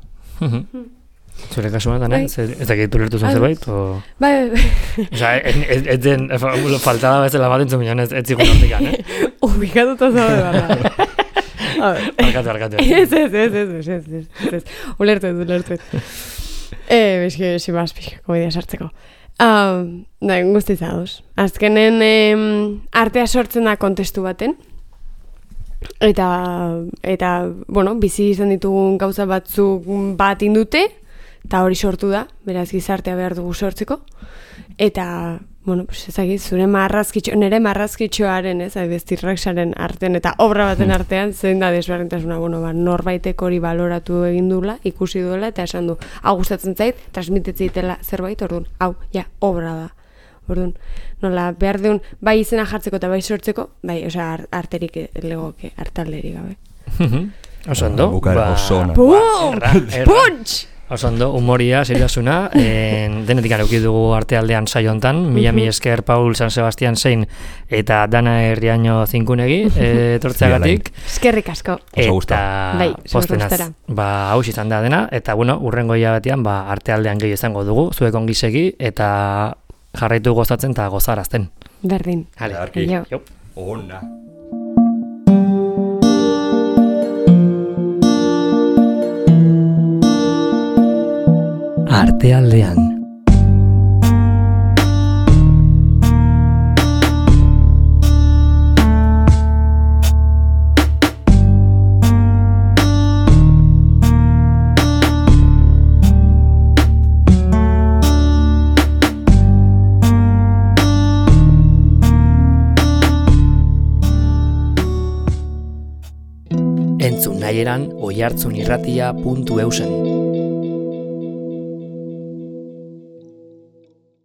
Zure kasuan, Dana? Ez dakit ulertu zuen zerbait? Bai. Osa, ez den, faltada bezala bat entzun minan, ez zigun hortikan, Ubikatuta zabe barra. Arkatu. Ez. Ulertu. Bezke, simazpik, komedia sartzeko. Guztiz aduz. Azkenen artea sortzen da kontestu baten. Eta bizi izan ditugun gauza batzuk bat indute, eta hori sortu da, beraz gizartea behar dugu sortzeko. Eta, ezagit, zure nire marrazkitxoaren, bestirraksaren artean eta obra baten artean, zein da desberdintasuna, norbaitek hori baloratu egin duela, ikusi duela, eta esan du, hau gustatzen zait, transmititzitela zerbait, orduan, hau, obra da. Orduan, nola, behar duen, bai izena jartzeko eta bai sortzeko, bai, arterik legoke, hartalderik gabe. Osondo? Bukara osona. Punch! Osondo, humoria, seriosuna, denetik arauki dugu artealdean saio hontan, mila esker Paul San Sebastian zein eta Dana Herriaño zinkunegi, etortzeagatik. Eskerrik asko. Eta postenaz, haus izan da dena, eta urrengo hilabetean artealdean gehi izango dugu, zuek ongi segi, eta jarraitu gozatzen eta gozarazten. Berdin. Arki. Ona. Artealdean. entzun nahi eran oihartzunirratia.eusen.